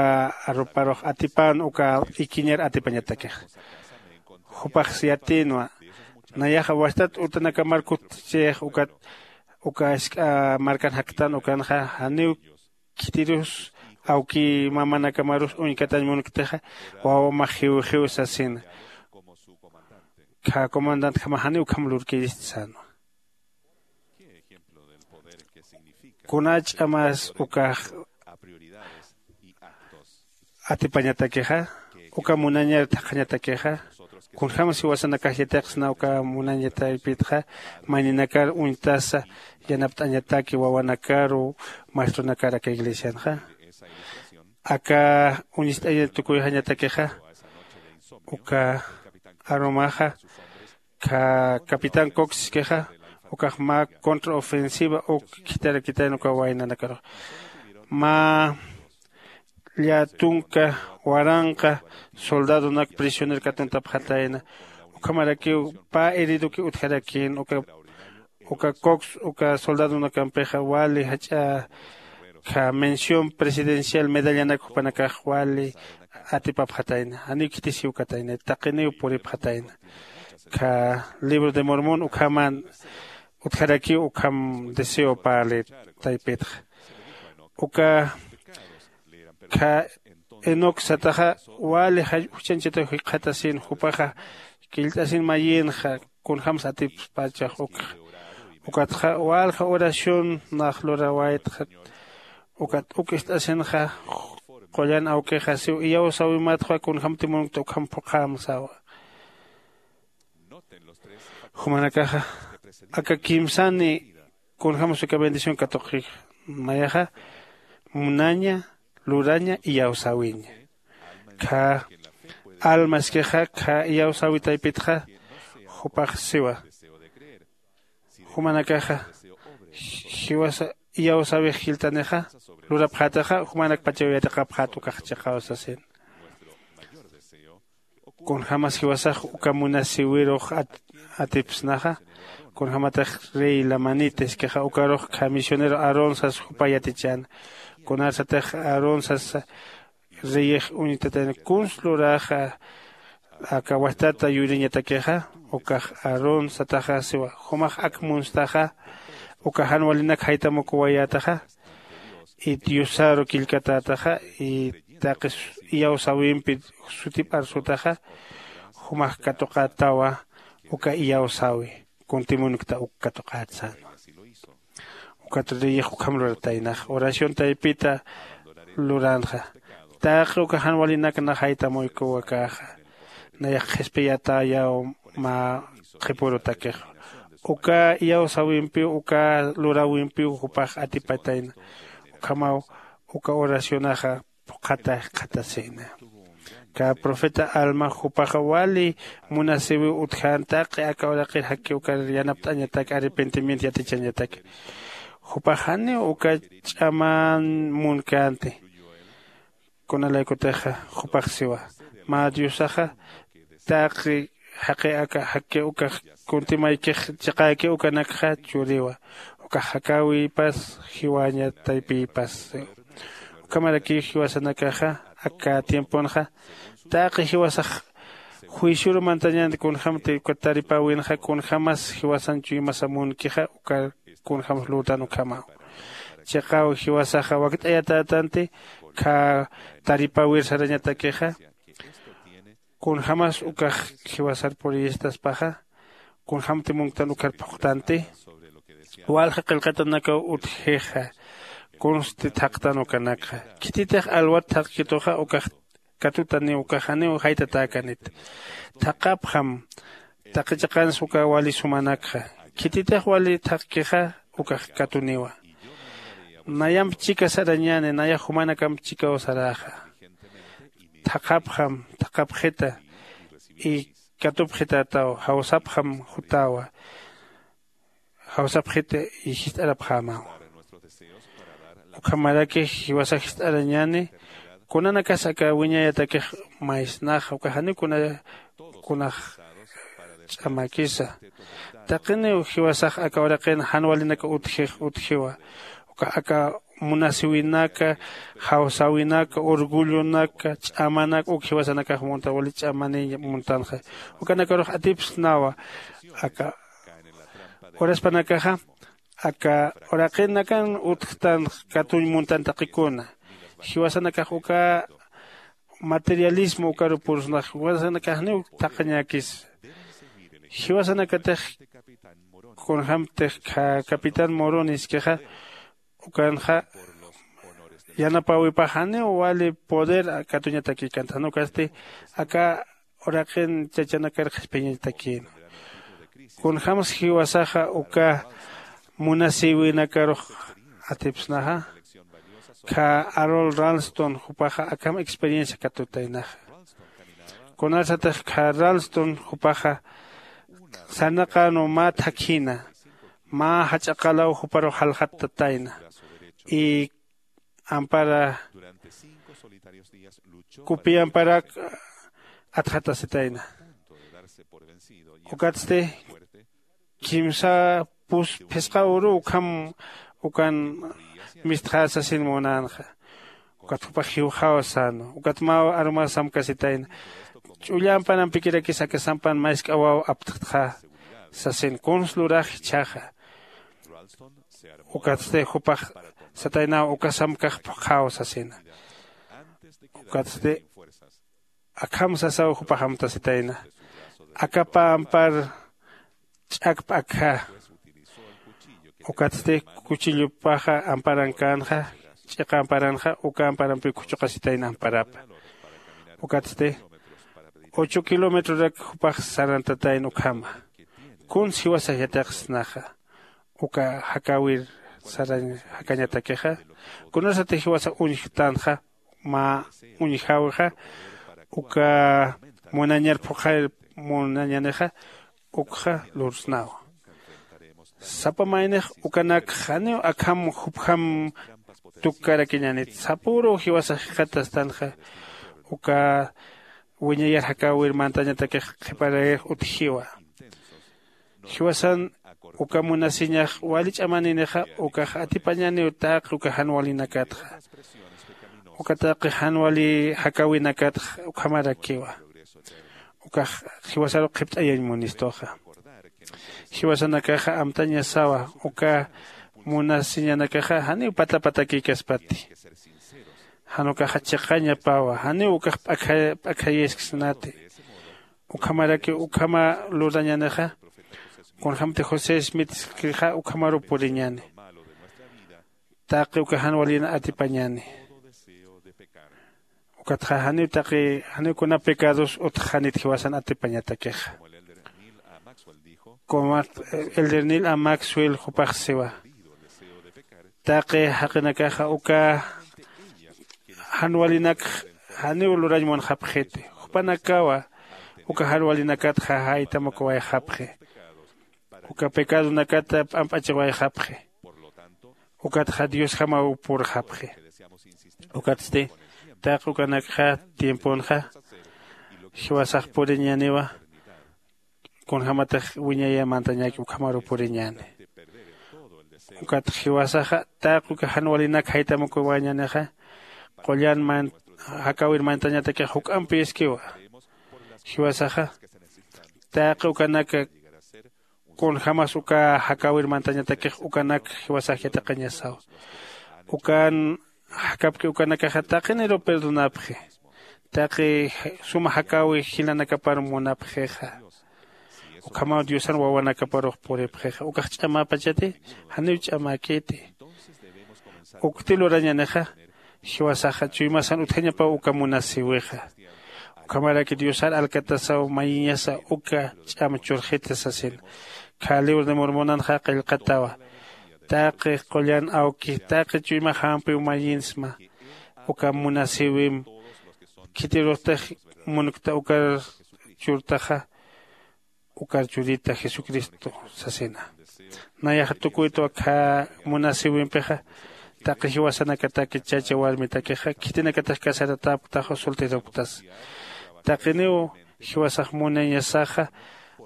aruparux atipän uka ikiñar atipañatakixa. Jupax yatïnwa nayaxa wastat utanakamar kutchix ukat uka jisk'a markan jaktan ukanxa janiw khitirus awki mamanakamarus uñkatañ munktixa wawamax jiwjiw sasina. Khä comandantjamax janiw ukham lurkirist sänwa. Kuna ch'amas ukax atipañatakixa uka munañar thaqhañatakixa? Kunjämsa jiwasanakax yatiqsna uka munaña taypitxa mayninakar uñtasa yanapt'añataki wawanakaru maestronakar aka iglesianxa. Aka uñist'aña tukuyxañatakixa uka arumaxa khä capitán cox iskixa ukax mä contraofensiva uk khitharakitayna uka waynanakarux mä llä tunka waranqa soldadonak prisioner katuntapxatayna. Ukhamarakiw pä heridoki utjarakïn uka uka cox uka soldadonakampixa wali jach'a khä mención presidencial medallanak jupanakax wali atipapxatayna janiw khitisiwkatayna taqiniw puripxatayna. Khä libro de mormón ukhaman utjarakiw ukham deseo parli taypitxa. Uka khä enoc sataxa wali juchanchataw jikxatasin jupaxa killt'asin mayïnxa kunjämsa atipspachax ukxa. Ukatxa walja oración nax lurawaytxa ukat uk ist'asinxa qullan awkixa siw iyawsäwimatxa kunjämti munkta ukham phuqhäm sawa. Jumanakaxa aka kimsani kunjämsa uka bendición katuqix mayaxa munaña luraña iyawsäwiña. Khä alma iskixa khä iyawsäwi taypitxa jupax siwa jumanakaxa jiwasa iyawsäwix jilltanixa lurapxätaxa jumanakpachaw yatiqapxät ukax chiqaw sasin. Kunjämas jiwasax uka munasïwirux atipsnaxa kunjämatix rey lamanita iskixa ukarux khä misionero aarón sas jupa yatichäna. Kunarsatix aarón sasa reyix uñtatayna kuns luraxa aka wastata yuriñatakixa ukax aarón sataxa siwa jumax ak munstaxa uka jan walinak jaytamukuwayätaxa y diosaru killkatätaxa y taqi iyawsäwimpi sutip arsutaxa jumax katuqätawa uka iyawsäwi kuntimunkta uk katuqät sänwa. Ukat reyix ukham lurataynax oración taypita luranxa taqi uka jan walinak nax jaytamuykuwakäxa nayax qhispiyatäyaw mä qhipürutakixa uka iyawsäwimpiw uka luräwimpiw jupax atipatayna. Ukhamaw uka oracionaxa phuqhata jikxatasïna. Kä profeta alma jupaxa wali munasïwiw utjän taqi aka uraqir jaki ukar yanapt'añatak arrepentimiento yatichañatak. Jupax janiw uka ch'aman munkänti. Kunalaykutixa jupax siwa mä diosaxa taqi jaqi aka jaki ukax kuntimaykix chiqäki ukanakxa churiwa. Ukax jakäwipas jiwaña taypïpas. Ukhamarakiw jiwasanakaxa aka tiemponxa taqi jiwasax juicioru mantañäni kunjämti uka taripäwinxa kunjämas jiwasan chuymasa munkixa uka kunjämas lurtan ukhamaw. Chiqäw jiwasaxa wakt'ayatätanti khä taripäwir sarañatakixa kunjämas ukax jiwasar puriyistaspaxa kunjämti munktan ukhar phuqtanti. Walja qillqatanakaw utjixa kunsti thaqtan ukanakxa khititix alwat thaqkituxa ukax katutaniw ukax janiw jaytatäkanit. Thaqapxam taqi chiqans uka wali sumanakxa khititix wali thaqkixa ukax katuniwa. Nayamp chika sarañäni nayax jumanakamp chikaw saräxa. Thaqapxam thaqapxita y katupxitätaw jawsapxam jutäwa. Jawsapxita y jist'arapxämaw. Ukhamaraki jiwasax jist'arañäni kunanakas aka wiñayatakix maysnaxa uka janiw kuna kunax ch'amäkisa. Taqiniw jiwasax aka uraqin jan walinaka utjix utjiwa. Uka aka munasiwinaka jawsäwinaka orgullonaka ch'amanaka uk jiwasanakax munta wali ch'amaniy muntanxa. Ukanakarux atipsnawa aka uraspanakaxa aka uraqinakan utjtan katuñ muntan taqikuna. Jiwasanakax uka materialismo ukaru pursnax jiwasanakaxniw thaqañäkisa. Jiwasanakatix kunjämtix capitán morones kixa ukanxa yanapäwipax janiw wali poder katuñatakïkanta jan ukasti aka uraqin chachanakar qhispiyañatakïna. Kunjämsa jiwasaxa uka munasïwinakarux atipsnaxa khä arol ralston jupaxa akham experiencia katutaynaxa. Kunarsatix khä ralston jupaxa sarnaqänwa mä thakhina mä jach'a qalaw juparux jaljattatayna y ampara kupi amparak atxatasitayna. Ukatsti kimsa pus phisqa uru ukham ukan mistxä sasin munänxa. Ukat jupax jiwxaw sänwa ukat mä aruma samkasitayna. Ch'ulla amparampikirakis aka sampan mask'a waw aptxtxa sasin kuns lurax jichhaxa. Ukatsti jupax sataynaw uka samkax phuqhaw sasina. Ukatsti akham sasaw jupax amtasitayna aka pä ampar ch'akp akja. Ukatsti kuchillupaxa amparankänxa ch'iqa amparanxa uka amparampiw khuchuqasitayna amparapa. Ukatsti ocho kilometrorak jupax sarantatayna ukhama. Kuns jiwasax yatiqsnaxa uka jakäwir sarañ jakañatakixa. Kunasatix jiwasa uñjtanxa mä uñjäwixa uka munañar phuqhayir munañanixa ukxa lursnawa. Sapa maynix ukanakx janiw akham jupjam tukkarakiñänit sapüruw jiwasax jikxatastanxa uka wiñayar jakäwir mantañatakix qhiparayix utjiwa. Jiwasan uka munasiñax wali ch'amaninixa ukax atipañaniw taqi uka jan walinakatxa. Uka taqi jan wali jakäwinakatxa ukhamarakiwa. Ukax jiwasaru qhipt'ayañ munistuxa. Jiwasanakaxa amtañasawa uka munasiñanakaxa janiw pata patakïkaspati. Jan ukaxa chiqañapawa janiw ukax p'akha p'akhayisksnati. Ukhamaraki ukhama lurañanixa kunjämti josé smithskixa ukhamaruw puriñäni. Taqi uka jan walin atipañäni. Ukatxa janiw taqi janiw kuna pecados utjxanit jiwasan atipañatakixa. Como elder nil a maxwell jupax siwa taqi jaqinakaxa uka jan walinakx janiw lurañ munxapxiti. Jupanakawa uka jan walinakatxa jaytam ukawayxapxi. Uka pecadonakata p'amp'achiwayxapxi. Ukatxa diosjamaw purxapxi. Ukatsti taqi ukanakxa tiemponxa Jiwasax puriñäniwa kunjämatix wiñayä mantañäki ukhamaru puriñäni. Ukat jiwasaxa taqi uka jan walinak jaytamukuwañänixa qullan jakäwir mantañatakix juk'ampiskiwa. Jiwasaxa taqi ukanaka kunjämas uka jakäwir mantañatakix ukanak jiwasax yatiqañasaw. Ukan jakapki ukanakaxa taqiniru perdonapxi. Taqi suma jakäwi jilanakapar munapxixa. Ukhamaw diosan wawanakaparux puripxixa ukax ch'amapachati. Janiw ch'amäkiti. Ukti lurañänixa jiwasaxa chuymasan utjañapaw uka munasïwixa. Ukhamaraki diosar alkatasaw mayiñasa uka ch'am churxita sasina. Khä libro de mormonanxa qillqatawa. Taqi qullan awki taqi chuymax jampiw mayinsma uka munasïwim. Khitiruxtix munkta ukar churtaxa ukar churita jesucristo sasina. Nayaxa tukuytwa khä munasïwimpixa taqi jiwasanakataki chacha warmitakixa khitinakatix casaratäpktaxa solteropktas. Taqiniw jiwasax munañasaxa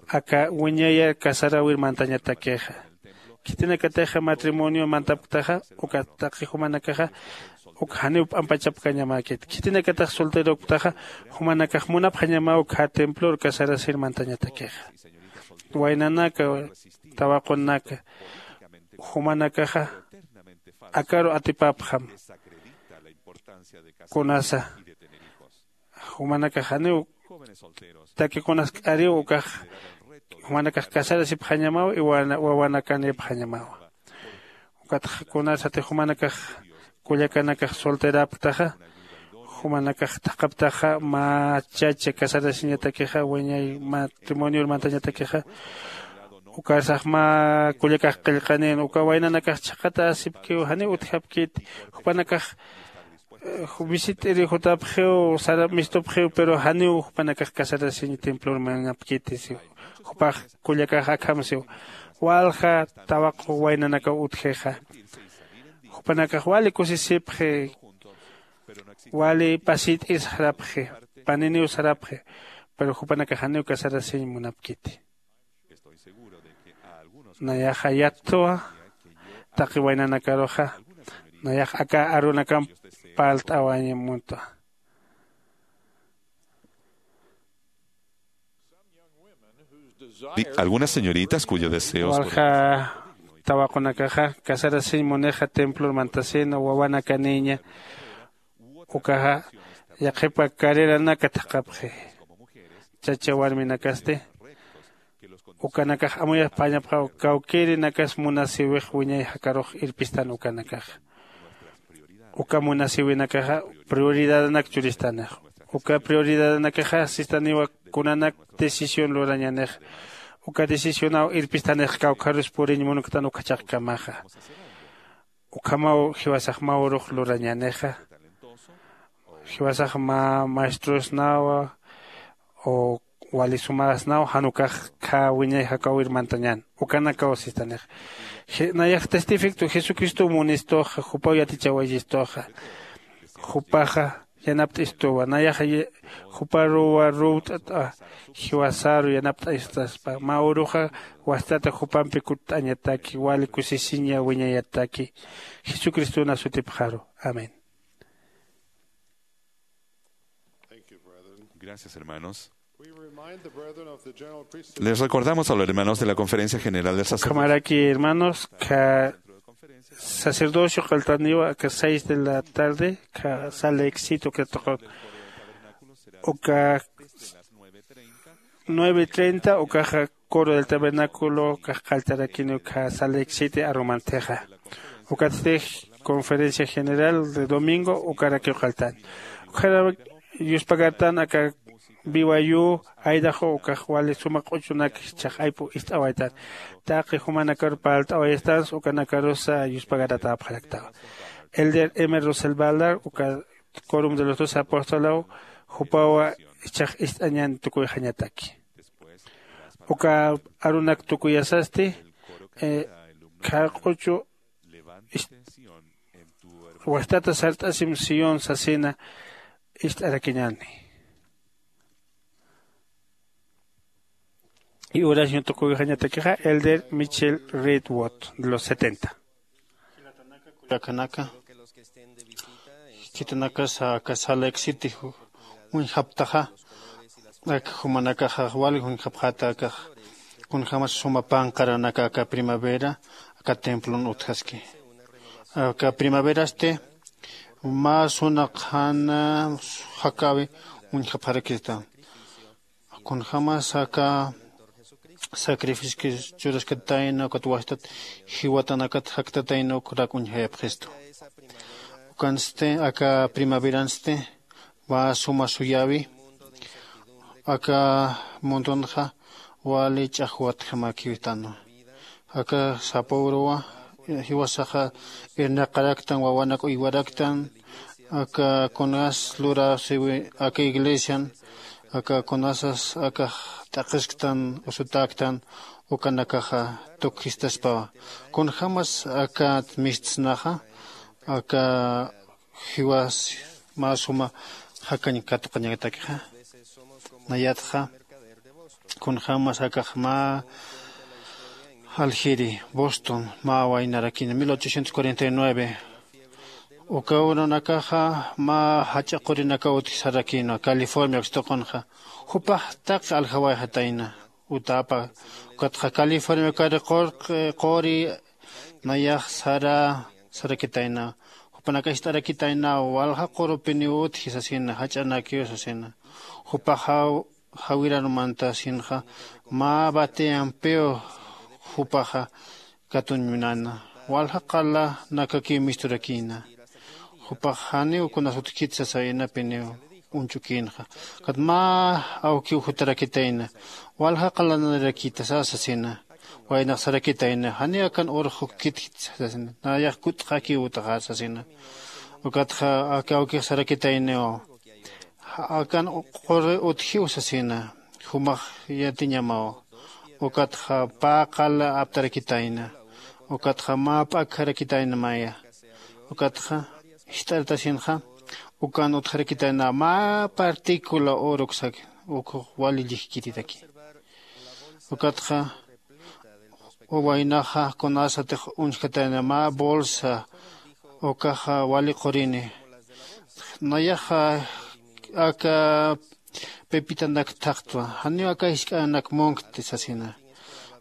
aka wiñayar casaräwir mantañatakixa. Khitinakatixa matrimonio mantapktaxa uka taqi jumanakaxa uk janiw p'ampachapkañamäkit. Khitinakatax solterokptaxa jumanakax munapxañamaw khä templor casarasir mantañatakixa. Waynanaka tawaqunaka jumanakaxa akaru atipapxam. Kunasa jumanakax janiw takiqunas k'ariw ukax jumanakax casarasipxañamaw y wawanakanipxañamaw. Ukatxa kunasatix jumanakax kullakanakax solterapktaxa jumanakax thaqhaptaxa mä chacha casarasiñatakixa wiñay matrimonior mantañatakixa. Ukarsax mä kullakax qillqanin uka waynanakax chhaqatäsipkiw janiw utjapkiti. Jupanakax visit'iri jutapxiw sarap mistupxiw pero janiw jupanakax casarasiñ templor manapkiti siw. Jupax kullakax akham siw walja tawaqu waynanakaw utjixa. Jupanakax wali kusisipxi wali pasit'ir sarapxi paniniw sarapxi. Pero jupanakax janiw casarasiñ munapkiti. Nayaxa yattwa taqi waynanakaruxa nayax aka arunakamp parlt'awañ muntwa. Di- algunas señoritas cuyo deseo es por walja tawaqunakaxa casarasiñ munixa templor mantasina wawanakanïña. Ukaxa yaqhipa carreranaka thaqhapxi. Chacha warminakasti ukanakax amuyapxañapxaw kawkïrinakas munasïwix wiñay jakarux irpistan ukanakaxa. Uka munasïwinakaxa prioridadanak churistanixa. Uka prioridadanakaxa sistaniwa kunanak decisión lurañanix. Uka decisionaw irpistanix kawkharus puriñ munktan ukhachaqkamaxa. Ukhamaw jiwasax mä urux lurañänixa. Jiwasax mä maestrosnawa o wali sumasnaw jan ukax khä wiñay jakäwir mantañän ukanakaw sistanixa. Nayax testifictu jesucristow munistuxa jupaw yatichawayistuxa. Jupaxa yanapt'istuwa nayaxa juparuwa ruwt'at'a. Jiwasaru yanapt'astaspa mä uruxa wastata jupampi kutt'añataki wali kusisiña wiñayataki. Jesucristona sutipxaru. Amén. Gracias, hermanos. Les recordamos a los hermanos de la Conferencia General del Sacerdocio. Ukhamaraki hermanos ka sacerdocio qalltaniwa aka seis de la tarde ka sala exito ka toqo uka nueve treinta ukaxa coro del tabernáculo kax qalltarakini uka sala exito arumantixa. Ukatstix conferencia general de domingo ukarakiw qalltan. Ukhara yuspagartan aka biwayu aydaxu ukax wali suma q'uchunak jichhax aypu ist'awaytan. Taqi jumanakaru parlt'awayastans ukanakarusa yuspagaratäpxaraktawa. Elder emer russel baldar uka corum de los dos apostolaw jupawa jichhax ist'añan tukuyxañataki. Uka arunak tukuyasasti khä q'uchu wajtata sart'asim sión sasina ist'arakiñäni. Y oración tukuwixañatakixa elder Michel Redwood de los setenta. Kullakanaka, khitinakasa aka Salt Lake City uñjaptaxa, aka jumanakaxa wali uñjapxäta akax kunjämas suma panqaranaka aka primavera aka templon utjaski. Aka primaverasti mä suna qhana jakäwi uñjapxarakista. Kunjämas aka sacrificio churaskatayna ukat wastat jiwatanakat jaktatayna ukrak uñjayapxistu. Ukansti aka primaveransti mä suma suyäwi aka mundunxa wali ch'axwatjamäkiwtanwa. Aka sapüruwa jiwasaxa irnaqaraktan wawanak uywaraktan aka kunas lurasiwi aka iglesian aka kunasas akax t'aqisktan usutäktan ukanakaxa tukjistaspawa. Kunjämas akat mistsnaxa aka jiwas mä suma jakañ katuqañatakixa. Nayatxa kunjämas akax mä aljiri Boston mä waynarakina mil ochocientos cuarenta y nueve. Uka urunakaxa mä jach'a qurinakaw utji sarakïnwa California ukstuqunxa. Jupax taqi aljawayxatayna utäpa. Ukatxa California ukari qurqi quri nayax sara sarakitayna. Jupanakax jist'arakitayna walja qurupiniw utji sasina jach'anakiw sasina. Jupaxa jawiran mantasinxa mä bateyampiw jupaxa katuñminana. Walja qalanakakiw misturakïna. Jupax janiw kunas utjkit sasayna piniw uñchukïnxa. Ukat mä awkiw jutarakitayna walja qalananarakïtasa sasina. Waynax sarakitayna janiw akan urux jukkit sasina nayax kut'xakiw utxar sasina. Ukatxa aka awkix sarakitayniw akan quri utjiw sasina. Jumax yatiñamaw. Ukatxa pä qala aptarakitayna. Ukatxa mä p'akjarakitayna maya. Ukatxa jist'artasinxa ukan utjarakitayna mä partícula oro uksak ukux wali llijkititaki. Ukatxa waynaxa kunasatix uñjkatayna mä bolsa ukaxa wali qurini. Nayaxa aka pepitanak thaqtwa janiw aka jisk'anak munkti sasina.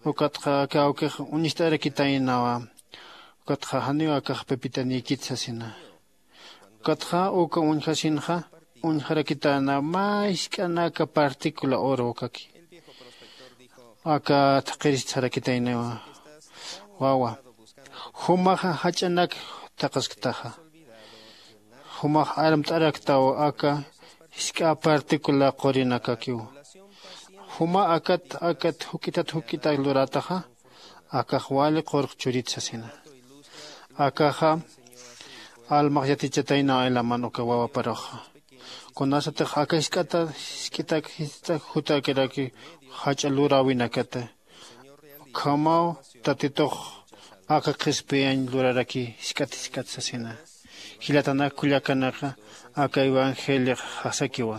Ukatxa aka awkix uñist'arakitaynawa. Ukatxa janiw akax pepitanïkit sasina. Ukatxa uka uñjasinxa uñjarakitayna mä jisk'anaka partícula oro ukaki. Aka thaqirist sarakitayniwa wawa. Jumaxa jach'anak thaqasktaxa. Jumax armt'araktaw aka jisk'a partícula qurinakakiw. Juma akat akat juk'itat juk'itak lurataxa akax wali qurq churit sasina. Akaxa almax yatichataynaw ilaman uka wawaparuxa. Kunasatix aka jisk'ata jisk'itak jisk'itak jutakiraki jach'a luräwinakata. Ukhamaw tatitux aka qhispiyañ luraraki jisk'at jisk'at sasina. Jilatanak kullakanaka aka evangeliox jasakiwa.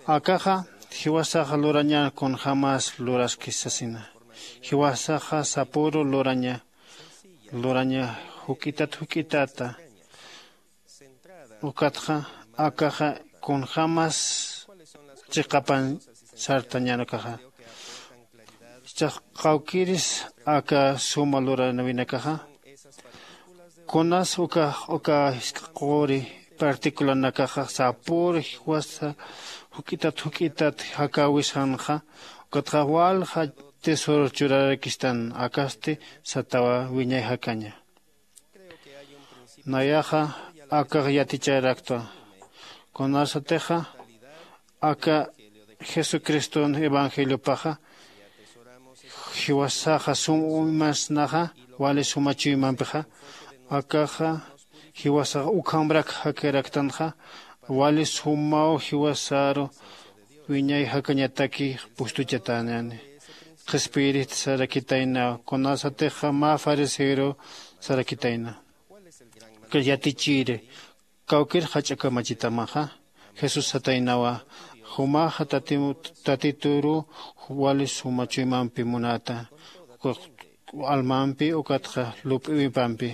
Akaxa jiwasaxa luraña kunjämas luraskis sasina. Jiwasaxa sapüru luraña luraña juk'itat juk'itata. Ukatxa akaxa kunjämas chiqapan sartañanakaxa. Chax qawkiris aka suma luranawinakaxa kunas uka uka jisk'a quri particularnakaxa sapür jiwasa juk'itat juk'itat jakäwisanxa. Ukatxa walja tesoro churarakistan akasti satawa wiñay jakaña. Nayaxa akax yaticharaktwa kunasatixa aka jesucriston evangeliopaxa jiwasaxa sum uymasnaxa wali suma chuymampixa. Akaxa jiwasaxa ukhamrak jakiraktanxa wali sumaw jiwasaru wiñay jakañataki pustuchatäñäni. Qhispiyirist sarakitayna kunasatixa mä fariseoru sarakitayna. Yatichiri kawkir jach'a kamachitamaxa jesús sataynawa. Jumaxa tatituru wali suma chuymampi munata, almampi ukatxa lup'iwipampi.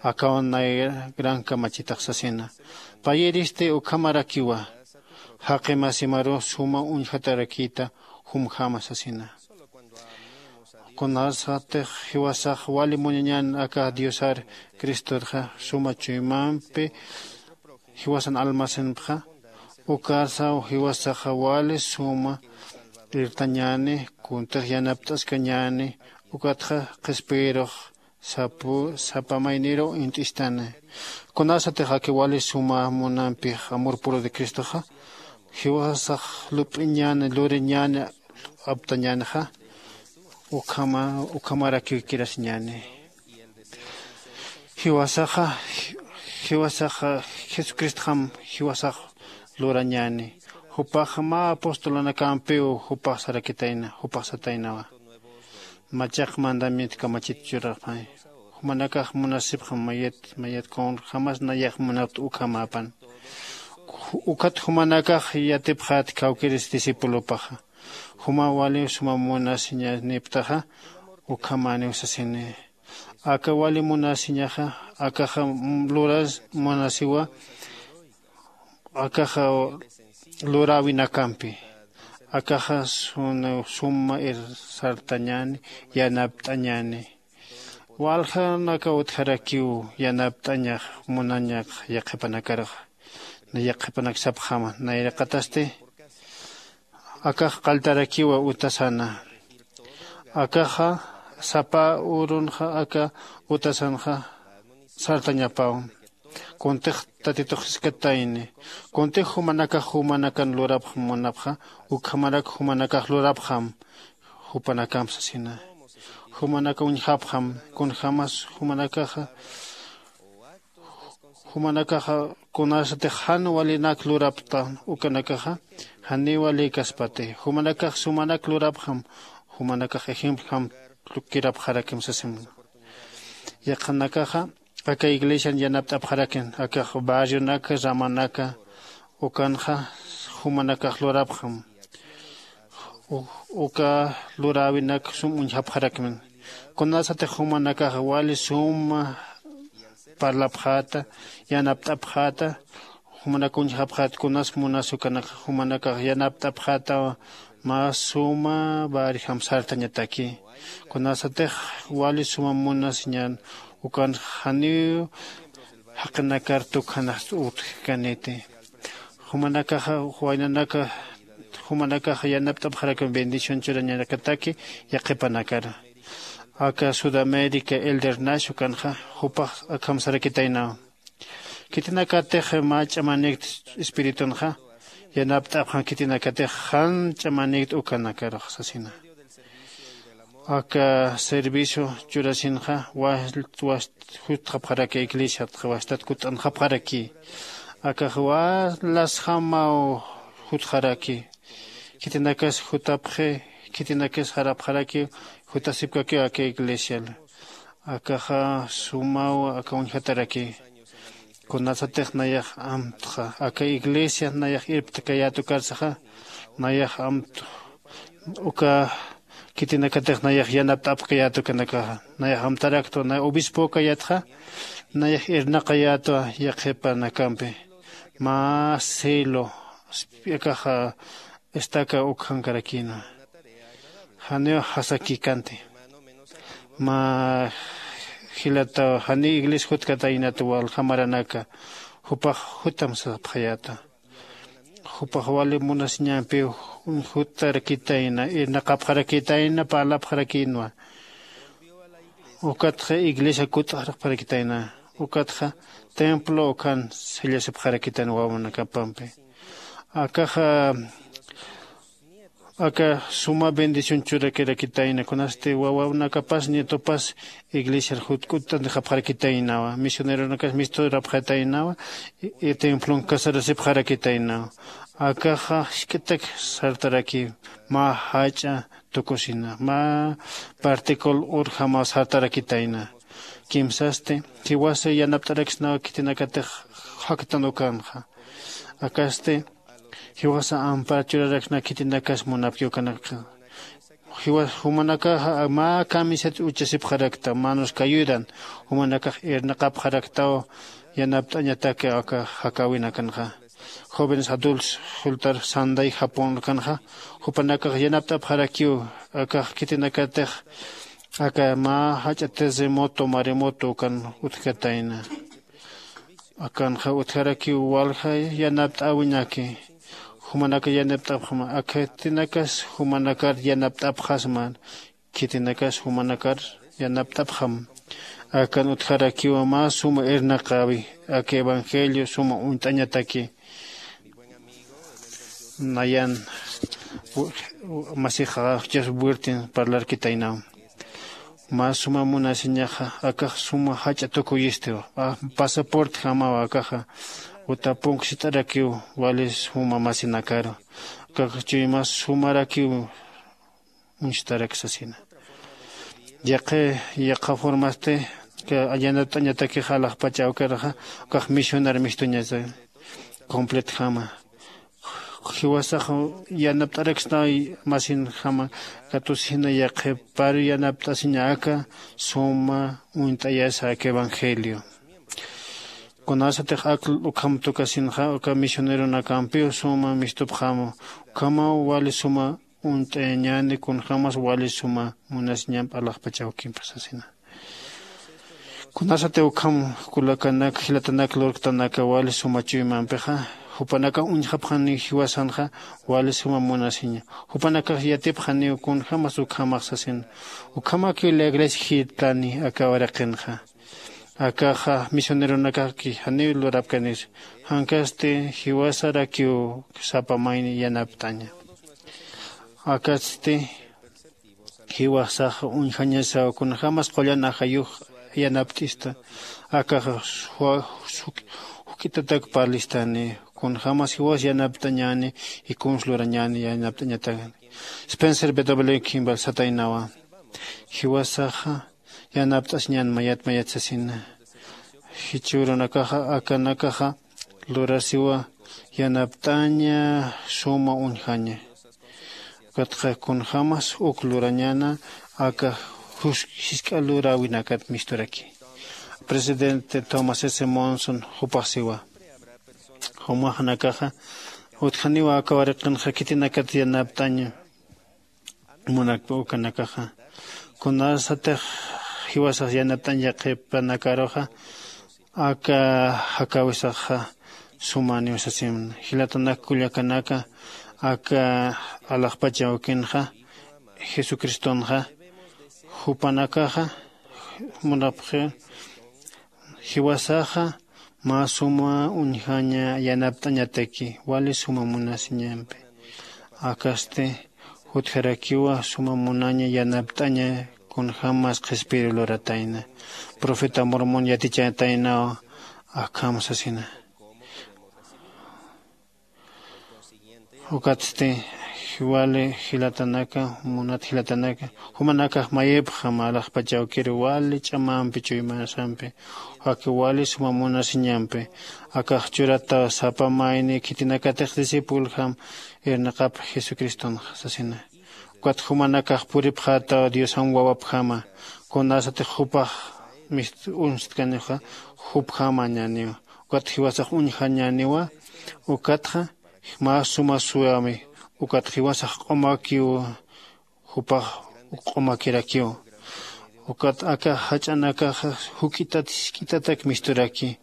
Akawan nay gran kamachitax sasina. Payiristi ukhamarakiwa jaqimasimaru suma uñjatarakïta jumjama sasina. Kunasatix jiwasax wali muñañän aka diosar cristorxa suma chuymampi jiwasan almacenpxa, ukarsaw jiwasaxa wali suma irtañäni, kuntix yanapt'askañäni, ukatxa qhispiyirux sapa mayniruw int'istani. Kunasatix aka wali suma munampix amor puro de cristoxa jiwasax lup'iñäni luriñäni aptañänixa, ukhamarakiw kirasiñäni. Jiwasaxa jiwasaxa jesucristxam jiwasax lurañäni. Jupax mä apostolanakampiw jupax sarakitayna jupax sataynawa. Machaq mandamiento kamachit churapxay. Jumanakax munasipxam mayat mayat kunjamas nayax munapta ukhamäpan. Ukat jumanakax yatipxät kawkïris discipulopaxa. Juma wali suma munasiñaniptaxa ukhamäniw sasini. Aka wali munasiñaxa akaxa luras munasiwa. Akaxa luräwinakampi akaxa suma sartañäni yanapt'añäni. Waljanaka utjarakiw yanapt'añax munañak yaqhipanakaruxa. Nay yaqhipanak sapxama nayraqatasti akax qalltarakiwa utasana. Akaxa sapa urunxa aka utasanxa sartañapaw. Kuntix tatitux jiskatayni kuntix jumanakax jumanakan lurapxam munapxa ukhamarak jumanakax lurapxam. Jupanakamp sasina jumanaka uñjapxam kunjämas jumanakaxa jumanakaxa kunasatix jan walinak lurapta ukanakaxa janiw walïkaspati. Jumanakax sumanak lurapxam jumanakax ejemplojam kirapxarakim sasim. Yaqhanakaxa aka iglesian yanapt'apxarakin akax barrionaka ramanaka ukanxa jumanakax lurapxam. Uka luräwinak sum uñjapxarakmin kunasatix jumanakax wali suma parlapxäta yanapt'apxäta. Jumanak uñjapxät kunas munas ukanakax jumanakax yanapt'apxätawa. Mä suma barjam sartañataki kunasatix wali suma munasiñän ukan janiw jaqinakar tukjanax utjkaniti. Jumanakaxa waynanaka jumanakaxa yanapt'apxarakim bendición churañanakataki yaqhipanakara. Aka sudamérica elder nash ukanxa jupax akham sarakitaynaw. Khitinakatix mä ch'amanïkt espiritunxa yanapt'apxan khitinakatix jan ch'amanïkt ukanakarux sasina. Aka servicio churasinxa wast jutxapxaraki iglesiatxa wastat kutt'anxapxaraki. Akax walasjamaw jutxaraki. Khitinakas jutapxi khitinakas jarapxaraki jutasipkakiw aka iglesial. Akaxa sumaw aka uñjataraki. Kunasatix nayax amtxa aka iglesia nayax irptkayät ukarsaxa nayax amt uka khitinakatix nayax yanapt'apkayät ukanakaxa nayax amtaraktwa nay obispokayätxa nayax irnaqayätwa. Yaqhipanakampi mä celo akaxa estaca ukhankarakïnwa. Janiw jasakïkanti mä jilataw janiw iglesia jutkataynat walja maranaka jupax jutam sapxayäta. Jupax wali munasiñampiw juttarakitayna irnaqapxarakitayna parlapxarakïnwa. Ukatxa iglesia kutt'arapxarakitayna ukatxa templo ukhan sallasipxarakitayna wawanakapampi. Akaxa aka suma bendición churakirakitayna kunasti wawanakapas nietopas iglesiar jutk'utt'antixapxarakitaynawa misioneronakas misturapxataynawa. Templon casarasipxarakitaynawa. Akaxa jisk'itak sartaraki mä jach'a tukusina mä particul urjamaw sartarakitayna. Kimsasti jiwasa yanapt'araksnawa khitinakatix jaktan ukanxa. Akasti Jiwasa ampar churaraksna khitinakas munapki ukanaka. Jiwas jumanakaxa mä kamisat uchasipxarakta manos kayudan. Jumanakax irnaqapxaraktaw yanapt'añataki aka jakäwinakanxa. Jóvenes adultos jultar sanday japón ukanxa jupanakax yanapt'apxarakiw. Akax khitinakatix aka mä jach'a terremoto maremoto ukan utjkatayna. Akanxa utjarakiw walja yanapt'äwinaki. Jumanaka yanapt'apxam. Akatinakas jumanakar yanapt'apxasman. Khitinakas jumanakar yanapt'apxam. Akan utjarakiwa mä suma irnaqäwi aka evangelio suma uñt'añataki. Nayan masixa joseph wirtin parlarkitaynaw. Mä suma munasiñaxa akax suma jach'a tukuyistiw. Pasaportjamaw akaxa. Utapunksit'arakiw wali suma masinakaru. Akax chuymas sumarakiw uñstarak sasina. Yaqi yaqha formasti yanapt'añatakix alaxpach awkiraxa. Ukax misionar mistuñasa completjama. Jiwasax yanapt'araksna masinjama katusina yaqhipar yanapt'asiña aka suma uñt'ayasa aka evangelio. Kunasatix ak ukham tukasinxa uka misioneronakampiw suma mistupxamu. Ukhamaw wali suma uñt'ayañäni kunjämas wali suma munasiñamp alaxpach awkimpi sasina. Kunasati ukham kulakanak jilatanak lurktanaka wali suma chuymampixa jupanakax uñjapxaniw jiwasanxa wali suma munasiña. Jupanakax yatipxaniw kunjämas ukhamax sasina. Ukhamakiw la iglesia jitani aka waraqinxa. Akaxa misioneronakaki janiw lurapkanis. Jankasti jiwasarakiw sapa mayni yanapt'aña. Akatsti jiwasax uñjañasaw kunjämas qullan ajayux yanapt'ista. Akaxa juk'itatak parlistani kunjämas jiwas yanapt'añäni. Ikuns lurañäni yanapt'añatakani. Spencer w kimball sataynawa. Jiwasaxa yanapt'asiñän mayat mayat sasina. Jichhürunakaxa akanakaxa lurasiwa yanapt'aña suma uñjaña. Ukatxa kunjämas uk lurañäna aka jisk'a luräwinakat misturaki. Presidente tomás s monson jupax siwa. Jumaxanakaxa utjaniwa aka waraqinxa khitinakat yanapt'aña munakpa ukanakaxa. Kunasatix jiwasax yanapt'añ yaqhipanakaruxa aka jakäwisaxa sumaniw sasimna. Jilatanak kullakanaka aka alaxpach awkinxa jesucristonxa jupanakaxa munapxi jiwasaxa mä suma uñjaña yanapt'añataki wali suma munasiñampi. Akasti jutjarakiwa suma munaña yanapt'aña kunjämas qhispiru luratayna. Profeta mormon yatichataynaw akham sasina. Ukatsti wali jilatanaka munat jilatanaka jumanakax mayipxam alaxpach awkir wali ch'amampi chuymasampi jaki wali suma munasiñampi. Akax churataw sapa mayni khitinakatix discipuljam irnaqap jesucriston sasina. Ukat jumanakax puripxätaw diosan wawapjama. Kunasatix jupax mist uñstkanixa jupjamañäniwa. Ukat jiwasax uñjañäniwa. Ukatxa mä suma suwami. Ukat jiwasax q'umakiw jupax q'umakirakiw. Ukat aka jach'anakaxa juk'itat jisk'itatak misturaki.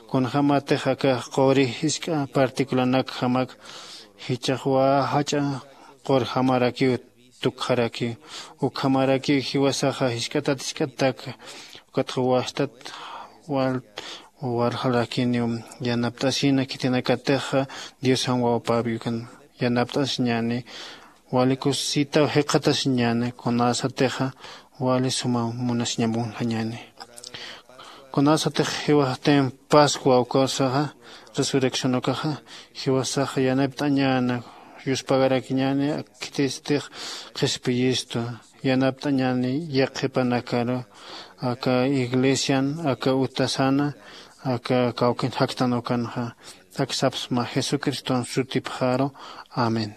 Kunjämatix aka quri jisk'a particularnakjamak jichhax wä jach'a qurjamarakiw tukxarakiw. Ukhamarakiw jiwasaxa jisk'atat jisk'atak ukatxa wastat wal warjarakiniw yanapt'asina khitinakatixa diosan wawapäwi ukan yanapt'asiñäni. Wali kusisitaw jikxatasiñäni kunasatixa wali suma munasiñamp uñjañäni. Kunasatix jiwaxtim pascua ukasaxa resurrección ukaxa jiwasaxa yanapt'añäna yuspagarakiñäni. Khitistix qhispiyistu yanapt'añäni yaqhipanakaru aka iglesian aka utasana aka kawkin jaktan ukanxa. Aksapsma Jesucriston sutipxaru. Amén.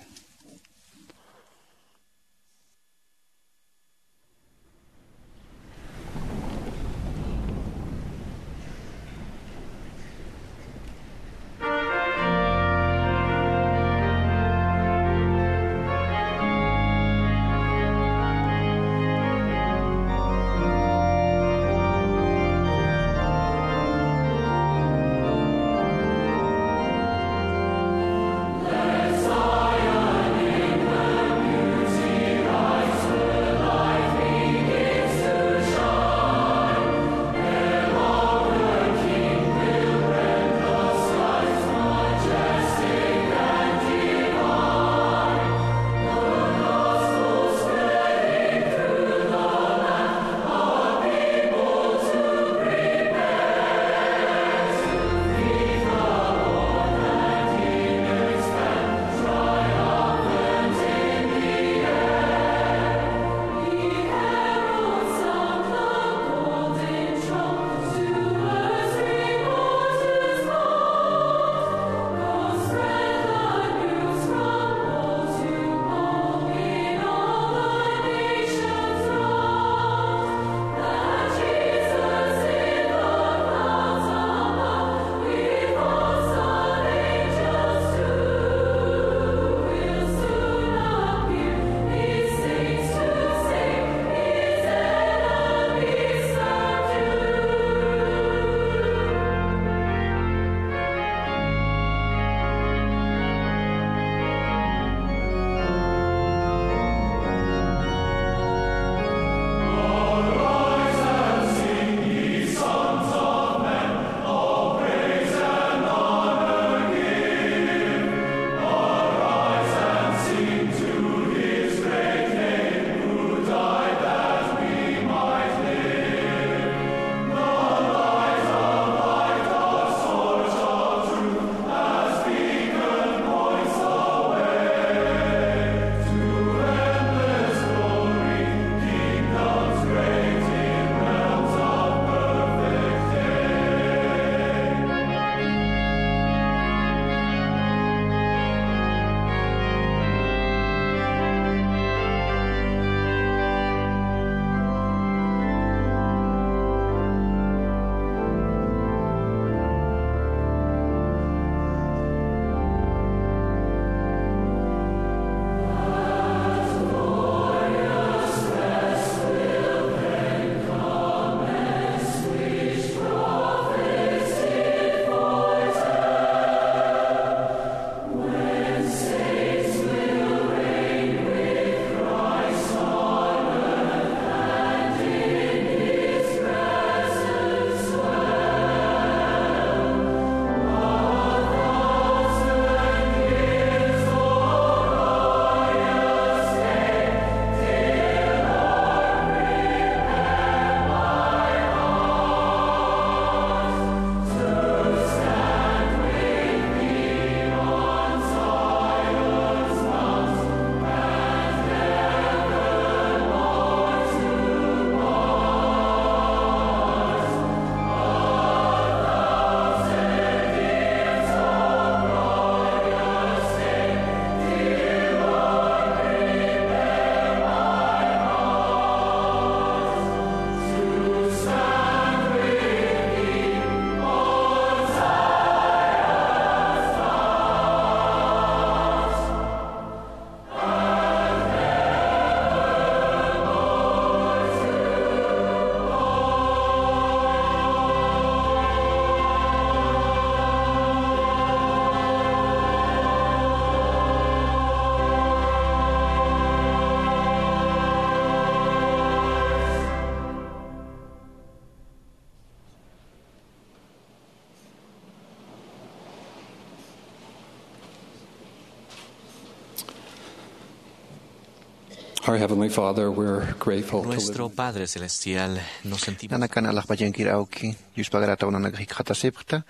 Our Heavenly Father, we're grateful to live. Nuestro Padre Celestial, nos sentimos. Nanakan alaxpachankir awki, yuspagarätaw nanakax jikxatasipxta,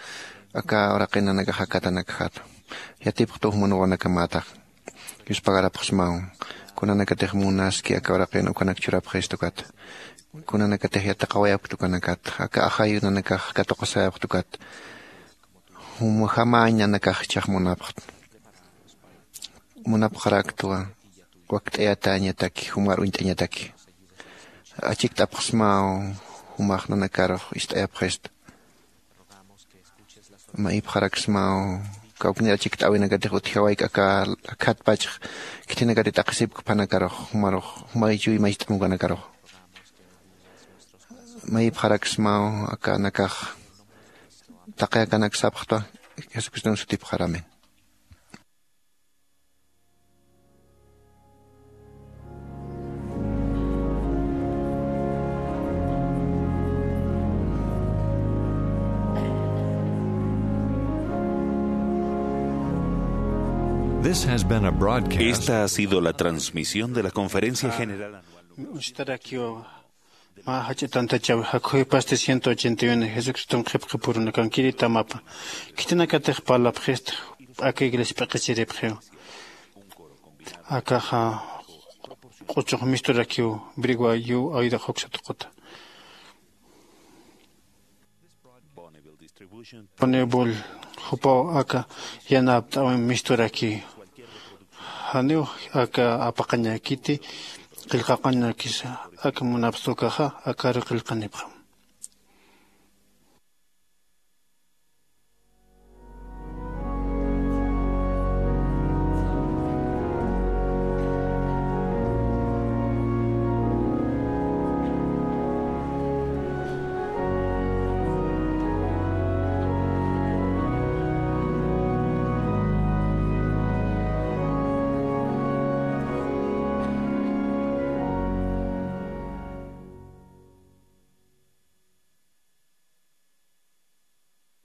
aka uraqin nanakax akatanakjat. Yatipxtuw munwanakamätax. Yuspagarapxsmaw. Kunanakatix munaski aka uraqin ukanak churapxistukat. Kunanakatix yatiqawayapktukanakata. Aka ajayu nanakax katuqasayapxtukat. Juma jamäñ nanakax ichhax munapxta. Munapxaraktwa wakt'ayatäñataki jumar uñt'añataki. Achikt'apxsmaw jumax nanakarux ist'ayapxista. Mayipxaraksmaw kawknir achikt'äwinakatix utjawayk aka akhatpachx khithinakati t'aqhisipkpanakarux jumarux jumay chuy mayst'amukanakarux. Mayipxaraksmaw aka nakax taqi akanak sapxtwa. Jesucriston sutipxaramin. This has been a broadcast. Esta ha sido la transmisión de la conferencia general anual. Mä jach'a tantachaw jakhuwipasti ciento ochenta y uno Jesucriston qhipqipurunakankiri tamapa. Khitinakatix parlapxista aka iglesia p'iqichiripxiw. Akaxa q'uchux misturakiw brigua yu aydax juksa tuquta. Bonneville jupaw aka yanapt'awin misturaki. Janiw aka apaqañakiti qillqaqañakisa aka munapxta ukaxa akaru qillqanipxam.